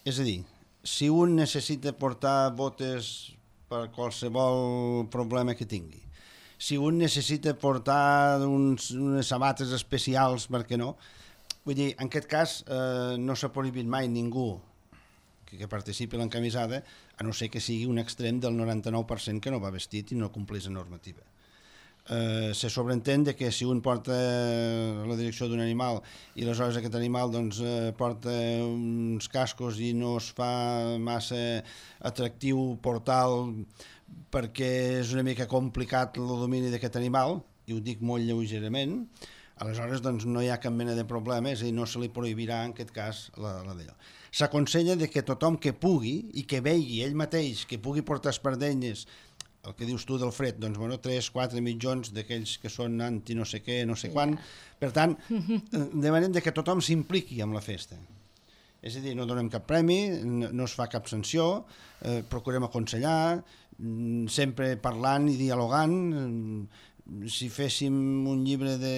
És a dir, si un necessita portar botes per qualsevol problema que tingui, si un necessita portar uns, unes sabates especials, per què no? Vull dir, en aquest cas eh, no s'ha prohibit mai ningú que, que participi en l'encamisada, a no ser que sigui un extrem del noranta-nou per cent que no va vestit i no compleix la normativa. Eh, se sobreentén de que si un porta la direcció d'un animal i aleshores aquest animal doncs, eh, porta uns cascos i no es fa massa atractiu portar-lo perquè és una mica complicat el domini d'aquest animal, i ho dic molt lleugerament, aleshores doncs, no hi ha cap mena de problema, és a dir, no se li prohibirà en aquest cas la, la d'allò. S'aconsella de que tothom que pugui i que vegi ell mateix, que pugui portar espardenyes, el que dius tu del fred, doncs bueno, tres, quatre mitjons d'aquells que són anti no sé què, no sé quan, per tant, demanem de que tothom s'impliqui amb la festa. És a dir, no donem cap premi, no es fa cap sanció, eh, procurem aconsellar, sempre parlant i dialogant. Si féssim un llibre de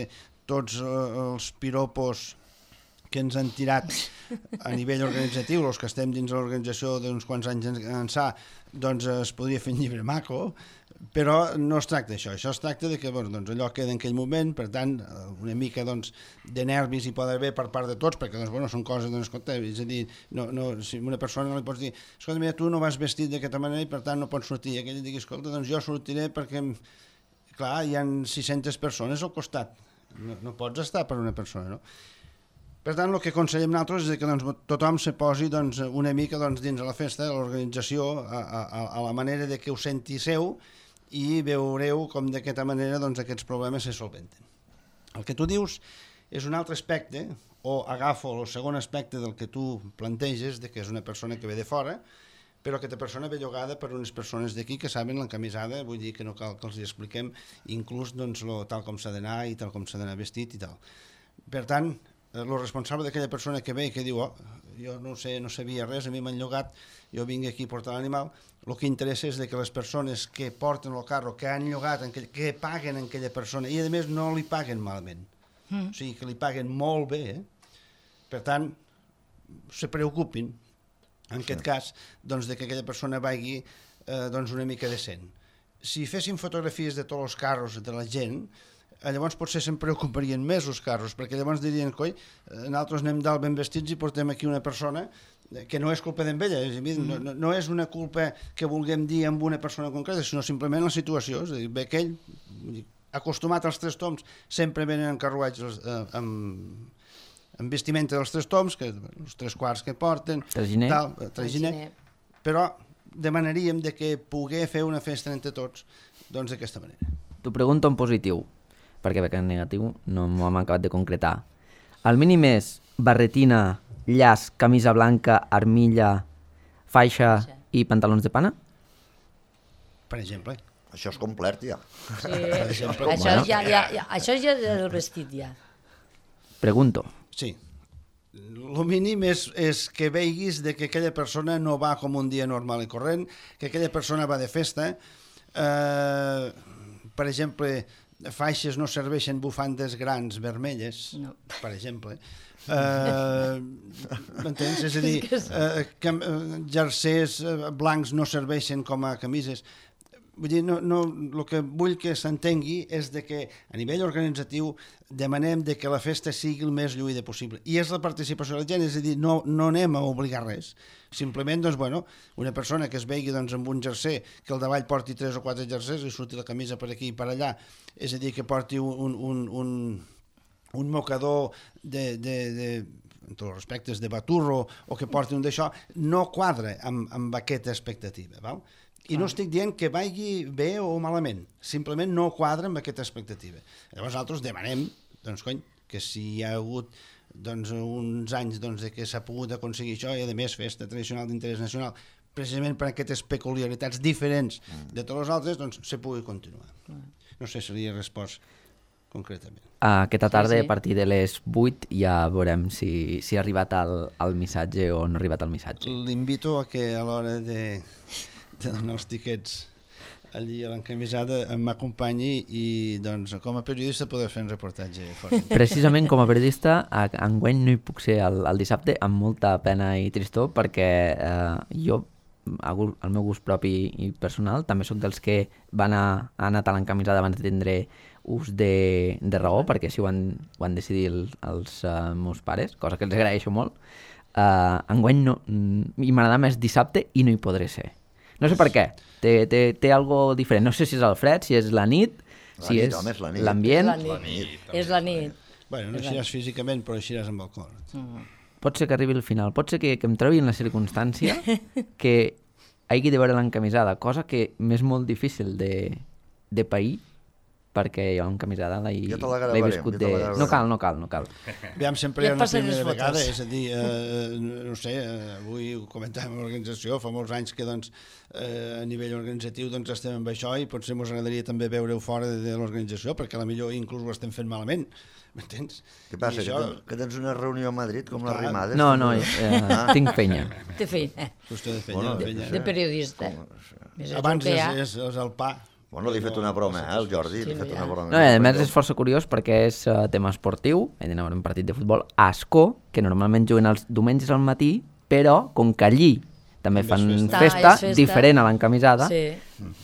tots els piropos que ens han tirat a nivell organitzatiu, els que estem dins l'organització d'uns quants anys ençà, doncs es podria fer un llibre maco, però no es tracta d'això. Això es tracta de que bueno, doncs allò queda en aquell moment, per tant, una mica doncs, de nervis hi pot haver per part de tots, perquè doncs, bueno, són coses, doncs, escolta, és a dir, no, no, si una persona no li pots dir, escolta, mira, tu no vas vestit d'aquesta manera i per tant no pots sortir, i aquell digui, escolta, doncs jo sortiré perquè, clar, hi ha sis-centes persones al costat, no, no pots estar per una persona, no? Per tant, el que aconsellem nosaltres és que doncs, tothom se posi doncs, una mica doncs, dins de la festa, de l'organització, a, a, a la manera de que ho senti seu, i veureu com d'aquesta manera doncs, aquests problemes se solventen. El que tu dius és un altre aspecte, o agafo el segon aspecte del que tu planteges, de que és una persona que ve de fora, però aquesta persona ve llogada per unes persones d'aquí que saben l'encamisada, vull dir que no cal que els hi expliquem inclús doncs, lo, tal com s'ha d'anar i tal com s'ha d'anar vestit i tal. Per tant, el responsable d'aquella persona que ve i que diu oh, jo no sé, no sabia res, a mi m'han llogat, jo vinc aquí a portar l'animal, el que interessa és de que les persones que porten el carro, que han llogat, que paguen en aquella persona, i a més no li paguen malament, mm. o sigui que li paguen molt bé, eh? Per tant, se preocupin, en aquest cas, doncs, de que aquella persona vagi eh, doncs una mica decent. Si féssim fotografies de tots els carros de la gent, llavors potser se'n preocuparien més els carros, perquè llavors dirien, coi, nosaltres anem dalt ben vestits i portem aquí una persona que no és culpa d'ella, no, no, no és una culpa que vulguem dir amb una persona concreta, sinó simplement la situació, és a dir, ve aquell, acostumat als tres toms, sempre venen en carruatges eh, amb, amb vestimenta dels tres toms, que, els tres quarts que porten, traginer, tal, traginer, però demanaríem de que poder fer una festa entre tots doncs d'aquesta manera. T'ho pregunto en positiu, perquè en negatiu no m'ho hem acabat de concretar. El mínim és barretina, llaç, camisa blanca, armilla, faixa i pantalons de pana? Per exemple. Això és complet, ja. Sí, això, ja, ja, ja, això ja és el vestit, ja. Pregunto. Sí. El mínim és, és que veiguis de que aquella persona no va com un dia normal i corrent, que aquella persona va de festa. Eh, per exemple, faixes no serveixen bufandes grans vermelles, no. Per exemple. Eh, m'entens? És a dir, eh, que, eh, jersers blancs no serveixen com a camises. Vull dir, no, no, el que vull que s'entengui és de que a nivell organitzatiu demanem de que la festa sigui el més lluïda possible. I és la participació de la gent, és a dir, no, no anem a obligar res. Simplement, doncs, bueno, una persona que es vegi doncs, amb un jerser, que al davall porti tres o quatre jersers i surti la camisa per aquí i per allà, és a dir, que porti un, un, un, un mocador de... de, de en tots els respectes de baturro o que porti un d'això, no quadra amb, amb aquesta expectativa, val? I no estic dient que vagi bé o malament, simplement no quadra amb aquesta expectativa. Llavors nosaltres demanem, doncs cony, que si hi ha hagut doncs, uns anys doncs, de que s'ha pogut aconseguir això i a més festa tradicional d'interès nacional, precisament per aquestes peculiaritats diferents de tots els altres, doncs se pugui continuar. No sé si li he respost concretament. Aquesta tarda, sí, sí. A partir de les vuit, ja veurem si, si ha arribat el, el missatge o no ha arribat el missatge. L'invito a que a l'hora de... de donar els tiquets allí a l'encamisada m'acompanyi i doncs com a periodista poder fer un reportatge fort. Precisament com a periodista enguany no hi puc ser el, el dissabte amb molta pena i tristor perquè eh, jo, al meu gust propi i personal, també sóc dels que van a, ha anat a l'encamisada abans de tindre ús de, de raó, perquè així ho han, ho han decidit el, els uh, meus pares, cosa que els agraeixo molt. Uh, enguany no, i m'agrada més dissabte i no hi podré ser. No sé per què, té, té, té algo diferent. No sé si és el fred, si és la nit, la si nit, és home, és la nit. l'ambient. És la nit. És la nit. Bueno, no eixiràs físicament, però eixiràs amb el cor. Mm. Pot ser que arribi al final, pot ser que, que em trobi en la circumstància que hagi de veure l'encamisada, cosa que m'és molt difícil de, de pair, perquè jo l'encamisada l'he ja viscut de... No cal, no cal, no cal. Aviam, sempre ja hi ha una primera vegada, és a dir, eh, no sé, eh, avui ho comentàvem a l'organització, fa molts anys que doncs, eh, a nivell organitzatiu doncs, estem amb això i potser ens agradaria també veure-ho fora de, de l'organització, perquè potser inclús ho estem fent malament, m'entens? Què passa, això... que, ten, que tens una reunió a Madrid com les rimades? No, no, eh, ah. tinc penya. Té feina. Qüestió de feina. Bueno, de, feina. De periodista. Com... Abans és, és, és el pa. Bueno, li he fet una broma, eh, el Jordi, li he fet una broma. No, a més és força curiós perquè és uh, tema esportiu, he d'anar a un partit de futbol a Ascó, que normalment juguen els diumenges al matí, però com que allí també fan festa, festa, ah, festa diferent a l'encamisada, sí.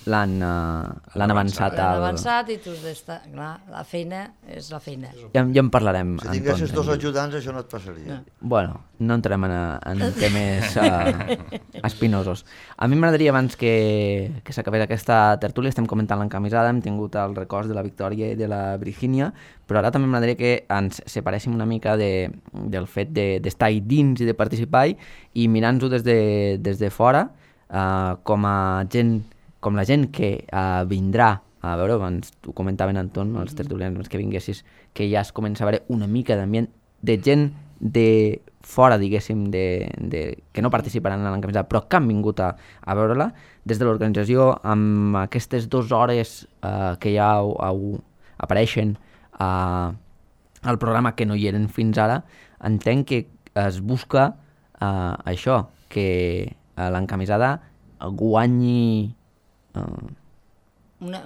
l'han uh, l'han avançat. L'han avançat i tu has d'estar... Clar, la feina és la feina. Ja, ja en parlarem. Si tinguessis dos ajudants, això no et passaria. No. Bueno, no entrem en, en temes uh, espinosos. A mi m'agradaria, abans que, que s'acabés aquesta tertúlia, estem comentant l'encamisada, hem tingut el record de la Victòria i de la Virgínia, però ara també m'agradaria que ens separéssim una mica de, del fet d'estar de, dins i de participar i mirant-ho des, de, des de fora, uh, com a gent, com la gent que uh, vindrà a veure, abans ho comentaven Anton, els tertulians que vinguessis, que ja es comença a veure una mica d'ambient de gent de fora, diguéssim, de, de, que no participaran en l'encamisada, però que han vingut a, a veure-la, des de l'organització, amb aquestes dues hores uh, que ja ho, ho apareixen uh, al programa que no hi eren fins ara, entenc que es busca uh, això, que uh, l'encamisada guanyi... Uh, una...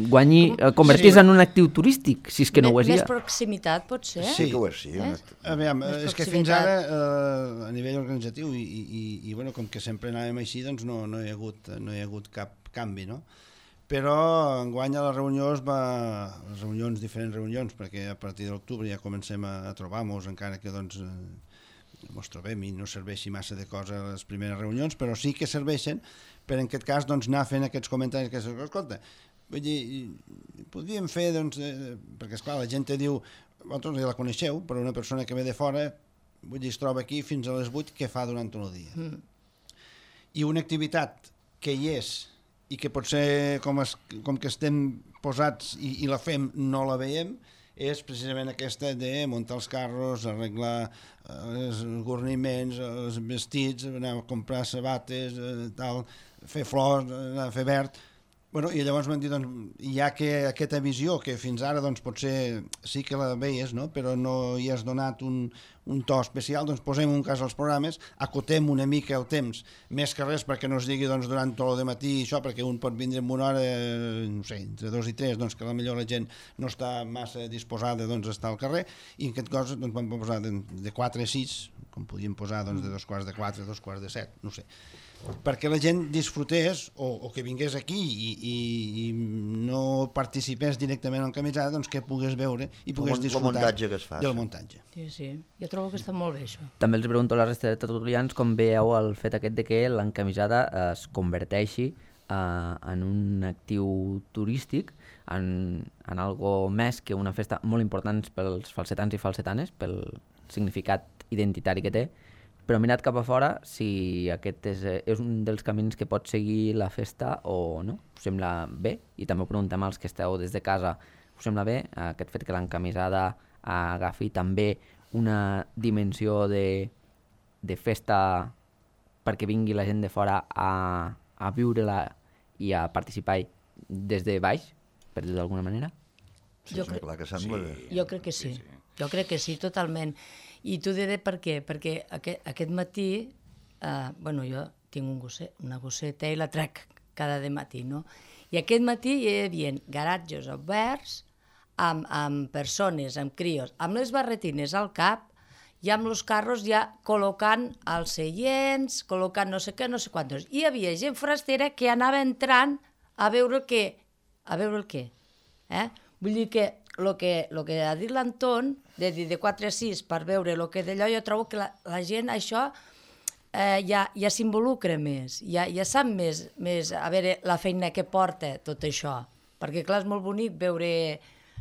guanyi, uh, convertís sí. en un actiu turístic, si és que no ho és més ja. Més proximitat, potser? Sí, que ho és, sí. Eh? Aviam, és que fins ara, eh, a nivell organitzatiu, i, i, i bueno, com que sempre anàvem així, doncs no, no, hi ha hagut, no hi ha hagut cap canvi, no? Però enguany a la reunió es va... les reunions, diferents reunions, perquè a partir de l'octubre ja comencem a, a trobar-nos, encara que doncs eh, mos trobem i no serveixi massa de cosa a les primeres reunions, però sí que serveixen per en aquest cas doncs, anar fent aquests comentaris que escolta, vull dir, podríem fer, doncs, eh, perquè esclar, la gent te diu, vosaltres ja la coneixeu, però una persona que ve de fora, vull dir, es troba aquí fins a les vuit, què fa durant tot el dia? Mm. I una activitat que hi és i que potser com, es, com que estem posats i, i la fem no la veiem, és precisament aquesta de muntar els carros, arreglar els guarniments, els vestits, anar a comprar sabates, tal, fer flors, anar a fer verd. Bueno, i llavors m'han dit, doncs, ja que aquesta visió, que fins ara doncs, potser sí que la veies, no? Però no hi has donat un, un to especial, doncs posem un cas als programes, acotem una mica el temps, més que res perquè no es digui doncs, durant tot el matí això, perquè un pot vindre en una hora, no sé, entre dos i tres, doncs, que potser la gent no està massa disposada doncs, a estar al carrer, i en aquest cas doncs, vam posar de, de quatre a sis, com podíem posar doncs, de dos quarts de quatre a dos quarts de set, no sé, perquè la gent disfrutés o, o que vingués aquí i, i, i no participés directament en camisada, doncs que pogués veure i pogués disfrutar muntatge que es fa, del muntatge. Sí, sí, jo trobo que està molt bé això. També els pregunto a la resta de tertulians com veieu el fet aquest de que l'encamisada es converteixi uh, en un actiu turístic, en, en algo més que una festa molt important pels falsetans i falsetanes, pel significat identitari que té. Però mirat cap a fora, si aquest és, és un dels camins que pot seguir la festa o no, us sembla bé? I també ho preguntem als que esteu des de casa, us sembla bé aquest fet que l'encamisada agafi també una dimensió de, de festa perquè vingui la gent de fora a, a viure-la i a participar des de baix, per dir-ho d'alguna manera? Sí, jo, cre... clar que sembla bé. jo crec que sí, sí, sí. Jo crec que sí, totalment. I t'ho diré per què, perquè aquest, aquest matí, eh, bueno, jo tinc un gosset, una gosseta i la trec cada de matí, no? I aquest matí hi havia garatges oberts amb, amb persones, amb crios, amb les barretines al cap i amb els carros ja col·locant els seients, col·locant no sé què, no sé quantos. I hi havia gent forastera que anava entrant a veure el què, a veure el què, eh? Vull dir que el que, lo que ha dit l'Anton, de dir de quatre a sis per veure el que d'allò, jo trobo que la, la gent això eh, ja, ja s'involucra més, ja, ja sap més, més a veure la feina que porta tot això, perquè clar, és molt bonic veure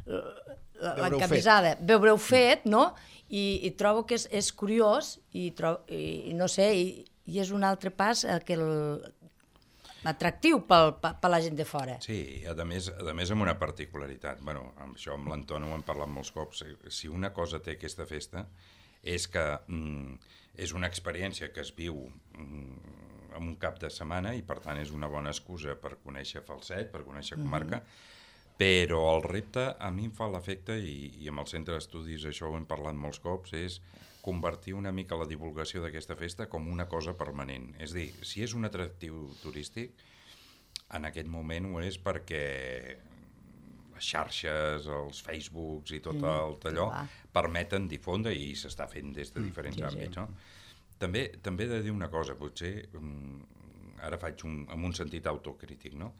l'encamisada, veure-ho fet, no? I, i trobo que és, és curiós i, trobo, i no sé, i, i és un altre pas que el atractiu per, per la gent de fora. Sí, a més, a més amb una particularitat. Bueno, amb això amb l'Anton ho hem parlat molts cops. Si una cosa té aquesta festa és que mm, és una experiència que es viu mm, en un cap de setmana i per tant és una bona excusa per conèixer Falset, per conèixer comarca, mm-hmm. però el repte a mi em fa l'efecte, i, i amb el centre d'estudis això ho hem parlat molts cops, és convertir una mica la divulgació d'aquesta festa com una cosa permanent. És a dir, si és un atractiu turístic, en aquest moment ho és perquè les xarxes, els Facebooks i tot el tallò permeten difondre i s'està fent des de diferents mm, àmbits. No? També, també he de dir una cosa, potser ara faig un, amb un sentit autocrític, no?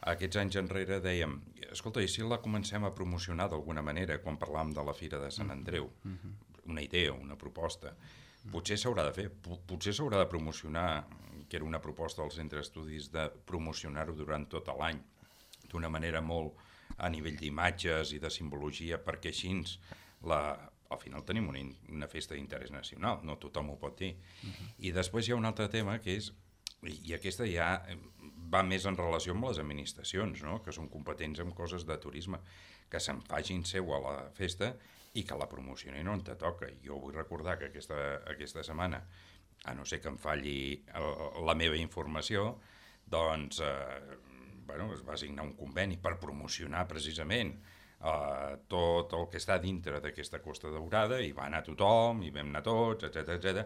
Aquests anys enrere dèiem, escolta, i si la comencem a promocionar d'alguna manera quan parlàvem de la Fira de Sant Andreu? Mm-hmm. Una idea, una proposta. Potser s'haurà de fer, potser s'haurà de promocionar, que era una proposta del Centre d'Estudis, de promocionar-ho durant tot l'any, d'una manera molt a nivell d'imatges i de simbologia, perquè així la, al final tenim una, una festa d'interès nacional, no tothom ho pot dir. Uh-huh. I després hi ha un altre tema que és, i aquesta ja va més en relació amb les administracions, no? Que són competents en coses de turisme, que se'n facin seu a la festa i que la promocionin on te toca. Jo vull recordar que aquesta, aquesta setmana, a no ser que em falli el, la meva informació, doncs eh, bueno, es va signar un conveni per promocionar precisament eh, tot el que està dintre d'aquesta Costa Daurada, i va anar tothom, i vam anar tots, etcètera, etcètera.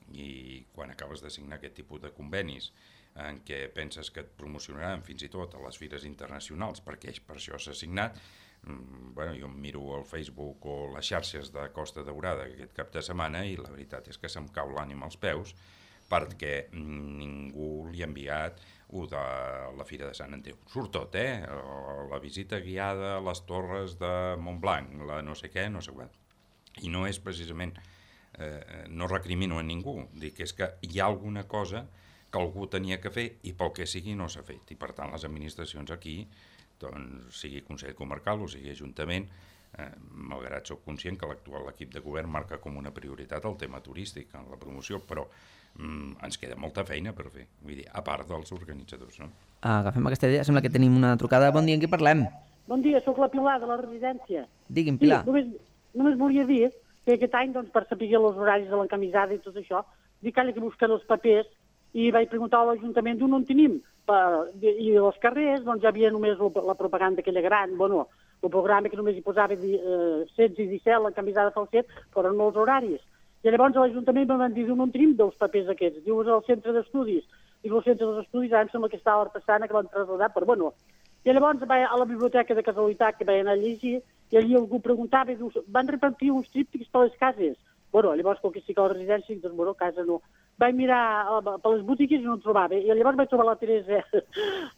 I quan acabes de signar aquest tipus de convenis en què penses que et promocionaran fins i tot a les fires internacionals, perquè per això s'ha signat, bueno, jo em miro al Facebook o les xarxes de Costa Daurada aquest cap de setmana i la veritat és que se'm cau l'ànima als peus perquè ningú li ha enviat o de la Fira de Sant Andreu. Surt tot, eh? La visita guiada a les torres de Montblanc, la no sé què, no sé què. I no és precisament, eh, no recrimino a ningú, dic que és que hi ha alguna cosa que algú tenia que fer i pel que sigui no s'ha fet. I per tant les administracions aquí, doncs, sigui Consell Comarcal o sigui Ajuntament, eh, malgrat soc conscient que l'actual equip de govern marca com una prioritat el tema turístic en la promoció, però mm, ens queda molta feina per fer, vull dir, a part dels organitzadors, no? Agafem aquesta idea, sembla que tenim una trucada. Bon dia, en qui parlem? Bon dia, sóc la Pilar de la residència. Digui'm, Pilar. Sí, només, només volia dir que aquest any, doncs, per saber els horaris de l'encamisada i tot això, dic que que buscar els papers i vaig preguntar a l'Ajuntament d'on en tenim. Per, i als carrers, doncs, ja havia només la propaganda aquella gran, bueno, el programa que només hi posava eh, setze i disset, l'encamisada fa el set, però no els horaris. I llavors a l'Ajuntament em van dir d'on en tenim dels papers aquests. Diu, és al centre d'estudis. Dic, el centre d'estudis, ara em sembla que estava a l'Artesana, que van traslladar, però bueno. I llavors vaig a la biblioteca de casualitat que vaig anar a llegir i allí algú preguntava, diu, van repartir uns tríptics per les cases. Bueno, llavors, com que sí que a la residència, doncs, bueno, a casa no. Vaig mirar per les botigues i no en trobava. I llavors vaig trobar la Teresa,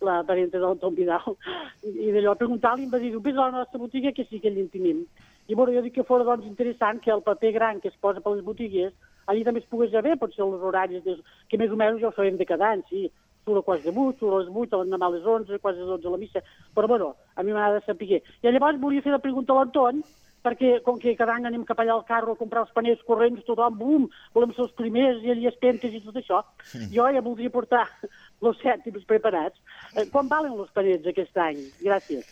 la parenta del Tom Vidal, i d'allò preguntar-li em va dir, vés a la nostra botiga que sí que allà en tenim. I bueno, jo dic que fora doncs interessant que el paper gran que es posa per les botigues, allí també es pogués ja bé, potser els horaris, que més o menys ja ho sabem de cada any, sí. Surt a quasi de vuit, surt a les vuit, a l'endemà a les onze, quasi a les dotze a la missa. Però bueno, a mi m'ha de saber. I llavors volia fer la pregunta a l'Anton, perquè com que cada any anem cap allà al carro a comprar els panets corrents, tothom, bum, volem ser els primers, i allà espentes i tot això. Sí. Jo ja voldria portar els cèntims preparats. Eh, quan valen els panets aquest any? Gràcies.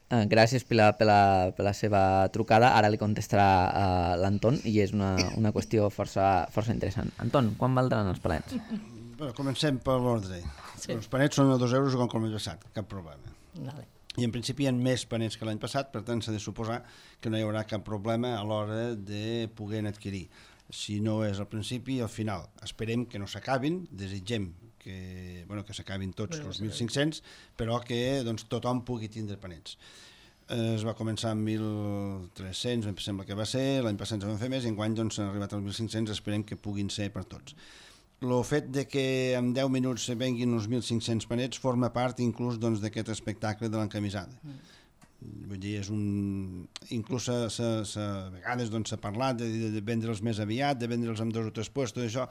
Uh, gràcies, Pilar, per la, per la seva trucada. Ara li contestarà uh, l'Anton i és una, una qüestió força, força interessant. Anton, quan valdran els panets? Bueno, comencem per l'ordre. Sí. Els panets són a dos euros com l'any passat, cap problema. Vale. I en principi hi ha més panets que l'any passat, per tant s'ha de suposar que no hi haurà cap problema a l'hora de poder adquirir. Si no és al principi, al final. Esperem que no s'acabin, desitgem que, bueno, que s'acabin tots els mil cinc-cents, però que doncs, tothom pugui tindre panets. Es va començar amb mil tres-cents, em sembla que va ser, l'any passat ens vam fer més, i enguany doncs, s'han arribat als mil cinc-cents, esperem que puguin ser per tots. El fet de que en deu minuts se venguin uns mil cinc-cents panets forma part inclús doncs, d'aquest espectacle de l'encamisada. Mm. Vull dir, és un... inclús a, a, a vegades doncs, s'ha parlat de, de, de vendre'ls més aviat, de vendre'ls amb dos o tres puestos, tot això.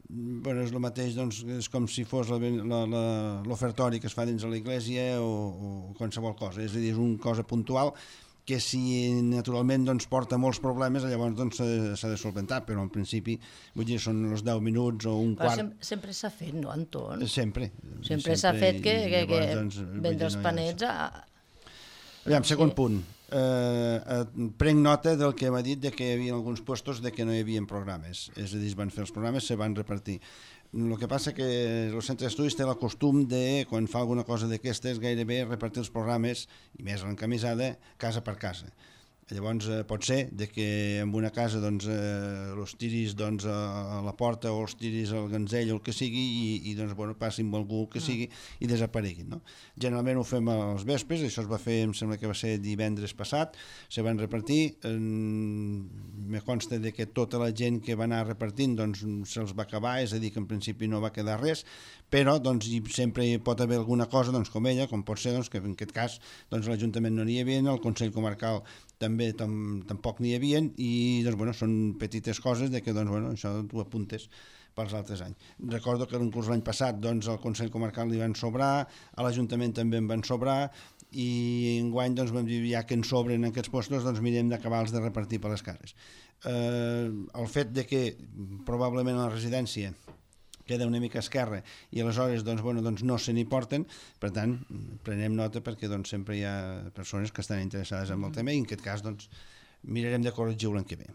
Bueno, és el mateix, doncs, és com si fos l'ofertori que es fa dins de l'església o, o qualsevol cosa. És a dir, és una cosa puntual que si naturalment doncs, porta molts problemes, llavors doncs, s'ha de solventar, però en principi vull dir, són els deu minuts o un però quart. Sempre, sempre s'ha fet, no, Anton? Sempre. Sempre s'ha fet que, que, que doncs, vendre els panets a... Aviam, segon punt. Eh, eh, prenc nota del que m'ha dit de que hi havia alguns puestos de que no hi havia programes. És a dir, es van fer els programes, se van repartir. El que passa que el centre d'estudis té el costum de, quan fa alguna cosa d'aquestes, gairebé repartir els programes, i més l'encamisada, casa per casa. Llavors eh, pot ser de que en una casa doncs, eh, els tiris doncs, a la porta o els tiris al ganzell o el que sigui i, i doncs, bueno, passin amb algú que sigui i desapareguin. No? Generalment ho fem als vespres, això es va fer, em sembla que va ser divendres passat, se van repartir, eh, me consta de que tota la gent que va anar repartint doncs, se'ls va acabar, és a dir, que en principi no va quedar res, però doncs, sempre hi pot haver alguna cosa doncs, com ella, com pot ser doncs, que en aquest cas doncs, l'Ajuntament no n'hi havia, el Consell Comarcal també tam, tampoc n'hi havia i doncs, bueno, són petites coses de que doncs, bueno, això t'ho apuntes pels altres anys. Recordo que en curs l'any passat doncs, al Consell Comarcal li van sobrar, a l'Ajuntament també en van sobrar i enguany doncs, vam dir ja que en sobren aquests postos doncs mirem d'acabar-los de repartir per les cases. Eh, el fet de que probablement a la residència queda una mica esquerra i aleshores doncs, bueno, doncs no se n'hi porten, per tant prenem nota perquè doncs, sempre hi ha persones que estan interessades en el tema i en aquest cas doncs, mirarem de corregir l'any que ve.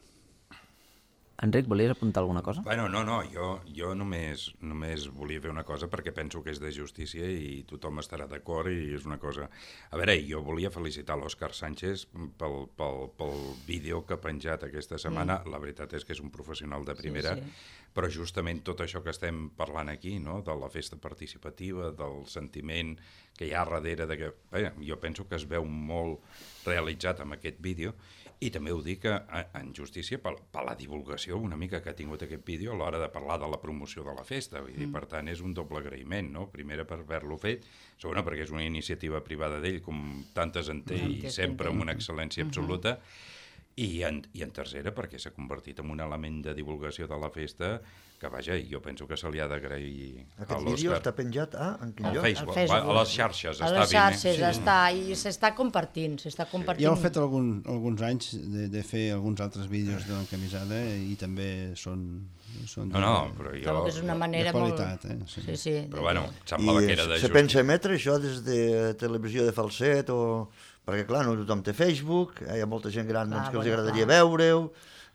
Enric, volies apuntar alguna cosa? Bueno, no, no, jo, jo només, només volia fer una cosa perquè penso que és de justícia i tothom estarà d'acord i és una cosa... A veure, jo volia felicitar l'Òscar Sánchez pel, pel, pel vídeo que ha penjat aquesta setmana. Mm. La veritat és que és un professional de primera, sí, sí. Però justament tot això que estem parlant aquí, no? De la festa participativa, del sentiment que hi ha darrere de que... Bé, jo penso que es veu molt realitzat amb aquest vídeo i també ho dic en justícia per, per la divulgació una mica que ha tingut aquest vídeo a l'hora de parlar de la promoció de la festa. Vull dir, mm. Per tant, és un doble agraïment, no? Primera per haver-lo fet, segona perquè és una iniciativa privada d'ell, com tantes en té, mm. i sempre amb una excel·lència absoluta, mm-hmm. I en, i en tercera perquè s'ha convertit en un element de divulgació de la festa que, vaja, jo penso que se li ha d'agrair a l'Òscar. Aquest vídeo està penjat a, en quin lloc? Al Facebook, Facebook. A les xarxes a està les xarxes sí. està, i s'està compartint, s'està compartint. Ja heu fet algun, alguns anys de, de fer alguns altres vídeos de l'encamisada i també són Són no, no, però jo... Trobo que és una manera de qualitat, molt... eh? Sí. Sí, sí. Però bueno, semblava I que era de se pensa emetre això des de televisió de falset o... Perquè, clar, no tothom té Facebook, eh? Hi ha molta gent gran doncs, Ah, que els bueno, agradaria clar. veure-ho,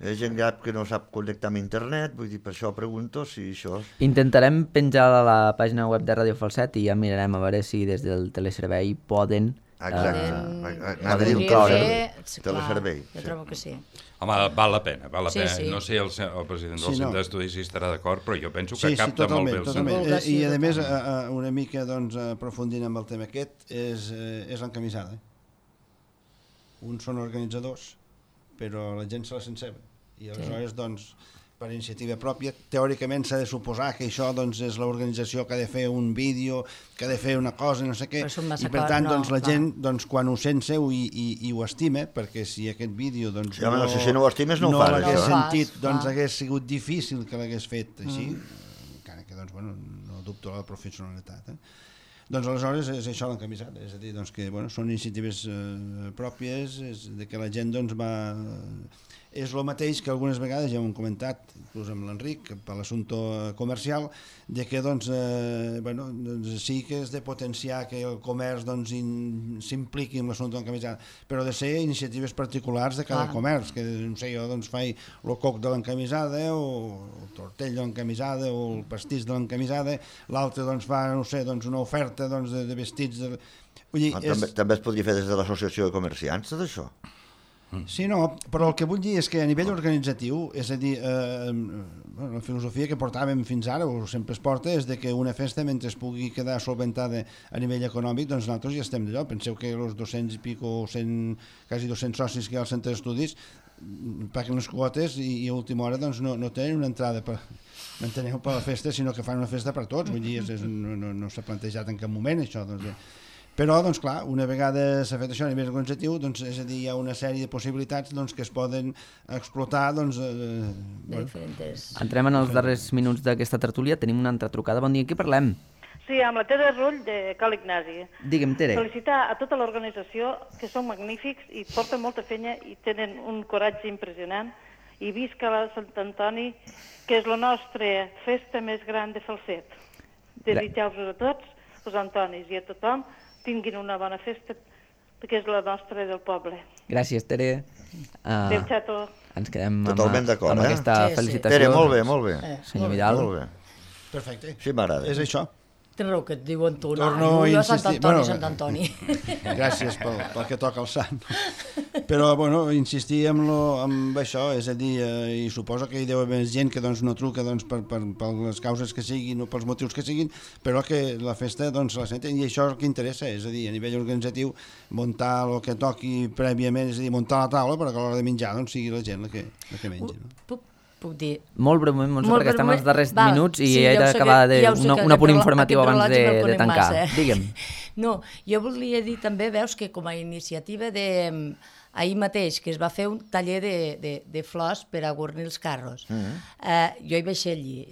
hi ha gent gran que no sap connectar amb internet, vull dir, per això pregunto si això... Intentarem penjar a la pàgina web de Ràdio Falset i ja mirarem a veure si des del teleservei poden... Exacte, eh, anava a dir un teleservei. Jo trobo que sí. Home, val la pena, val la Sí, pena. sí. No sé el, el president del Sí, no. centre d'estudis si estarà d'acord, però jo penso que Sí, sí, capta totalment, molt bé el totalment. sentit. Eh, I, a més, a, a, una mica doncs, aprofundint amb el tema aquest, és, eh, és l'encamisada. Uns són organitzadors, però la gent se la sent seva. I aleshores, doncs, per iniciativa pròpia, teòricament s'ha de suposar que això doncs, és l'organització que ha de fer un vídeo, que ha de fer una cosa, no sé què, i per tant, doncs, la gent, doncs, quan ho sent seu i, i, i ho estima, perquè si aquest vídeo doncs, Sí, home, no, si no ho estimes no ho no fas, l'hagués això. sentit, No ho fas, doncs clar. hagués sigut difícil que l'hagués fet així, Mm. encara que, doncs, bueno, no dubto la professionalitat, eh? Doncs aleshores és això l'encamisat, és a dir, doncs, que bueno, són iniciatives eh, pròpies, és de que la gent doncs, va... És el mateix que algunes vegades ja ho hem comentat, inclús amb l'Enric, per l'assumpte comercial, de que doncs, eh, bueno, doncs, sí que és de potenciar que el comerç doncs, in- s'impliqui en l'assumpte de l'encamisada, però de ser iniciatives particulars de cada Ah. comerç, que no sé, jo doncs, faig el coc de l'encamisada, o el tortell de l'encamisada, o el pastís de l'encamisada, l'altre doncs, fa, no sé, doncs, una oferta doncs, de, de vestits... De... Vull dir, Ah, és... també, també es podria fer des de l'associació de comerciants, tot això? Sí, no, però el que vull dir és que a nivell organitzatiu, és a dir, eh, bueno, la filosofia que portàvem fins ara, o sempre es porta, és de que una festa, mentre es pugui quedar solventada a nivell econòmic, doncs nosaltres ja estem d'allò. Penseu que els dos-cents i pico, cent, quasi dos-cents socis que hi ha al centre d'estudis, paguen les quotes i, i a última hora doncs, no, no tenen una entrada per, m'enteneu, per la festa, sinó que fan una festa per tots. Vull dir, és, és, no, no, no s'ha plantejat en cap moment això, doncs, eh. Però, doncs clar, una vegada s'ha fet això a nivell organitzatiu, doncs, és a dir, hi ha una sèrie de possibilitats doncs, que es poden explotar. Doncs, eh, bueno. Diferents. Entrem en els darrers minuts d'aquesta tertúlia. Tenim una altra trucada. Bon dia, qui parlem? Sí, amb la Tere Rull de Cal Ignasi. Digue'm, Tere. Felicitar a tota l'organització, que són magnífics i porten molta feina i tenen un coratge impressionant. I visca la Sant Antoni, que és la nostra festa més gran de Falset. Desitjar-vos a tots, els Antonis i a tothom, tinguin una bona festa, perquè és la nostra del poble. Gràcies, Tere. Uh, Adéu, xato. ens quedem amb, Totalment d'acord, amb eh? aquesta Sí, sí. felicitació. Tere, molt bé, molt bé. Eh, Senyor Vidal. Molt bé. Perfecte. Sí, m'agrada. És això. Tens raó que et diuen tu, no, Torno a jo Sant insistir. Antoni, Bueno, Sant Antoni. Gràcies pel, pel que toca el sant. Però, bueno, insistir amb, lo, amb això, és a dir, eh, i suposo que hi deu haver més gent que doncs, no truca doncs, per, per, per les causes que siguin o pels motius que siguin, però que la festa doncs, la senten, i això és el que interessa, és a dir, a nivell organitzatiu, muntar el que toqui prèviament, és a dir, muntar la taula perquè a l'hora de menjar doncs, sigui la gent la que, la que mengi. No? Puc, puc dir... Molt breument, Montse, Molt perquè estem als breument. darrers Val, minuts i sí, he ja ho sé d'acabar que- de ja ho sé una, que un apunt aquest informatiu reloj- abans aquest de, reloj de conec tancar. massa, eh? Digue'm. No, jo volia dir també, veus, que com a iniciativa de... Ahir mateix, que es va fer un taller de, de, de flors per a guarnir els carros. Mm -hmm. eh, jo hi vaig ser allí.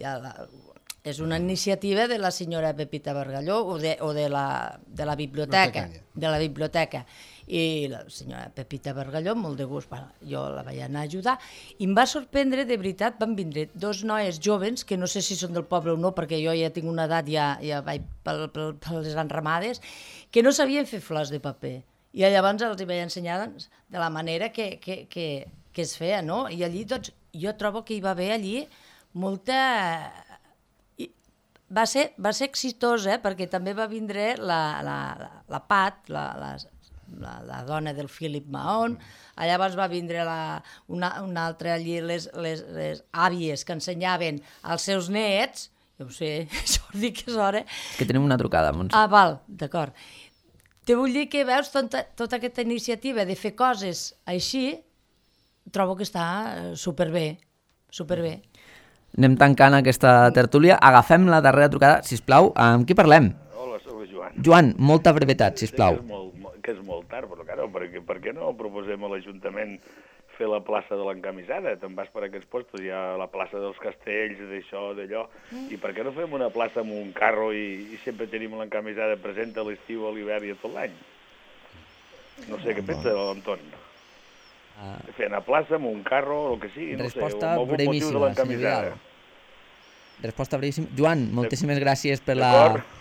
És una iniciativa de la senyora Pepita Bargalló o de, o de, la, de la biblioteca. De la biblioteca. I la senyora Pepita Bargalló, molt de gust, bueno, jo la vaig anar a ajudar, i em va sorprendre, de veritat, van vindre dos noies joves, que no sé si són del poble o no, perquè jo ja tinc una edat, ja, ja vaig per, per, per les enramades, que no sabien fer flors de paper. I llavors els hi vaig ensenyar doncs, de la manera que, que, que, que es feia, no? I allí, doncs, jo trobo que hi va haver allí molta... I va ser, va ser exitós, eh? Perquè també va vindre la, la, la, la Pat, la, la, la, la dona del Philip Mahon, llavors va vindre la, una, una altra allí, les, les, les àvies que ensenyaven als seus nets, jo ho sé, Jordi, que és hora... És que tenim una trucada, Montse. Ah, val, d'acord. Te vull dir que veus tota, tota aquesta iniciativa de fer coses així, trobo que està superbé, superbé. Anem tancant aquesta tertúlia. Agafem la darrera trucada, sisplau. Amb qui parlem? Hola, soc el Joan. Joan, molta brevetat, sisplau. Sí, que, és molt, que és molt tard, però claro, per, què, per què no proposem a l'Ajuntament fer la plaça de l'encamisada? Te'n vas per aquests postos, hi ha la plaça dels castells, d'això, d'allò, mm. i per què no fem una plaça amb un carro i, i sempre tenim l'encamisada present a l'estiu, a l'hivern i a tot l'any? No sé, què pensa l'Anton? Uh, fer una plaça amb un carro, el que sigui, no sé, amb algun motiu de l'encamisada. resposta brevíssima. Joan, moltíssimes gràcies per la,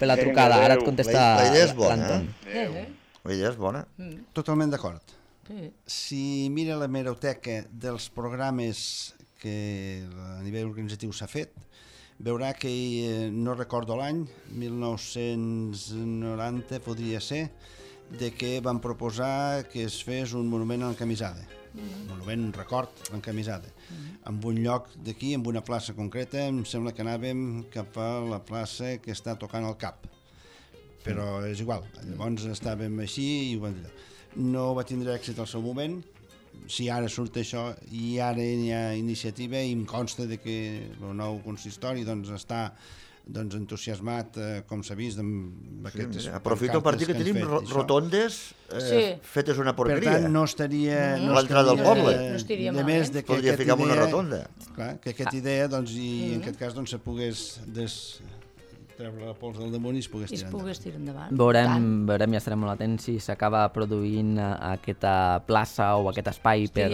per la trucada. Ara et contesta l'Anton. La idea és bona, eh? La idea és bona. Totalment d'acord. Si mira la hemeroteca dels programes que a nivell organitzatiu s'ha fet, veurà que eh, no recordo l'any, mil nou-cents noranta podria ser, de que van proposar que es fes un monument a l'encamisada. Un monument, un record a l'encamisada. En un lloc d'aquí, en una plaça concreta, em sembla que anàvem cap a la plaça que està tocant el cap. Però és igual, llavors estàvem així i ho vam dir. No va tindre èxit al seu moment. Si ara surt això i ara hi ha iniciativa i em consta de que el nou consistori doncs, està doncs, entusiasmat, eh, com s'ha vist, amb aquestes sí, aprofito per dir que, que tenim fet, rotondes eh, sí. fetes una porqueria. Per tant, no estaria... No, no l'entrada del poble. No estaria de més de que podria ficar idea, una rotonda. Clar, que aquesta idea, doncs, i mm. en aquest cas, doncs, se pogués des... treure la pols del damunt i es pogués tirar endavant. tirar endavant. Veurem, veurem, ja estarem molt atents si s'acaba produint aquesta plaça o aquest espai per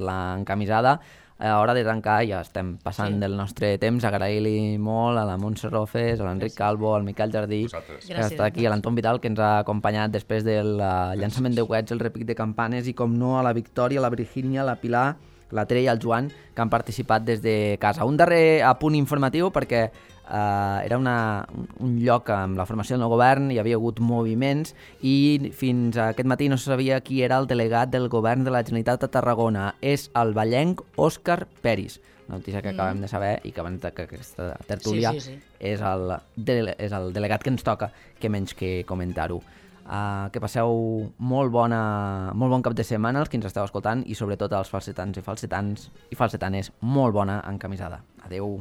l'encamisada. A hora de tancar ja estem passant sí. del nostre temps. Agrair-li molt a la Montse Rofes, a l'Enric Calvo, al Miquel Jardí, Vosaltres. que està aquí, a l'Anton Vidal, que ens ha acompanyat després del llançament de coets, el repic de campanes, i com no a la Victòria, la Virgínia, la Pilar, la Tere i el Joan, que han participat des de casa. Un darrer apunt informatiu, perquè uh, era una, un lloc amb la formació del govern, hi havia hagut moviments, i fins aquest matí no se sabia qui era el delegat del govern de la Generalitat a Tarragona. És el vallenc Òscar Peris. Una notícia que mm. acabem de saber i que abans d'aquesta tertúlia sí, sí, sí. És, el, de, és el delegat que ens toca, que menys que comentar-ho. Uh, que passeu molt, bona, molt bon cap de setmana els que ens esteu escoltant, i sobretot als falsetans i falsetans i falsetanes, molt bona encamisada. Adeu.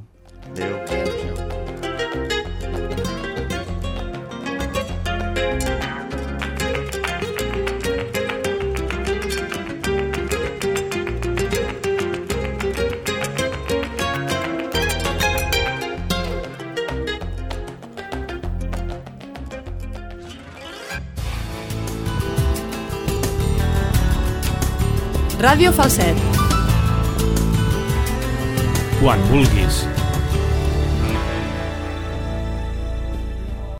Adeu. Adeu. Ràdio Falset. Quan vulguis.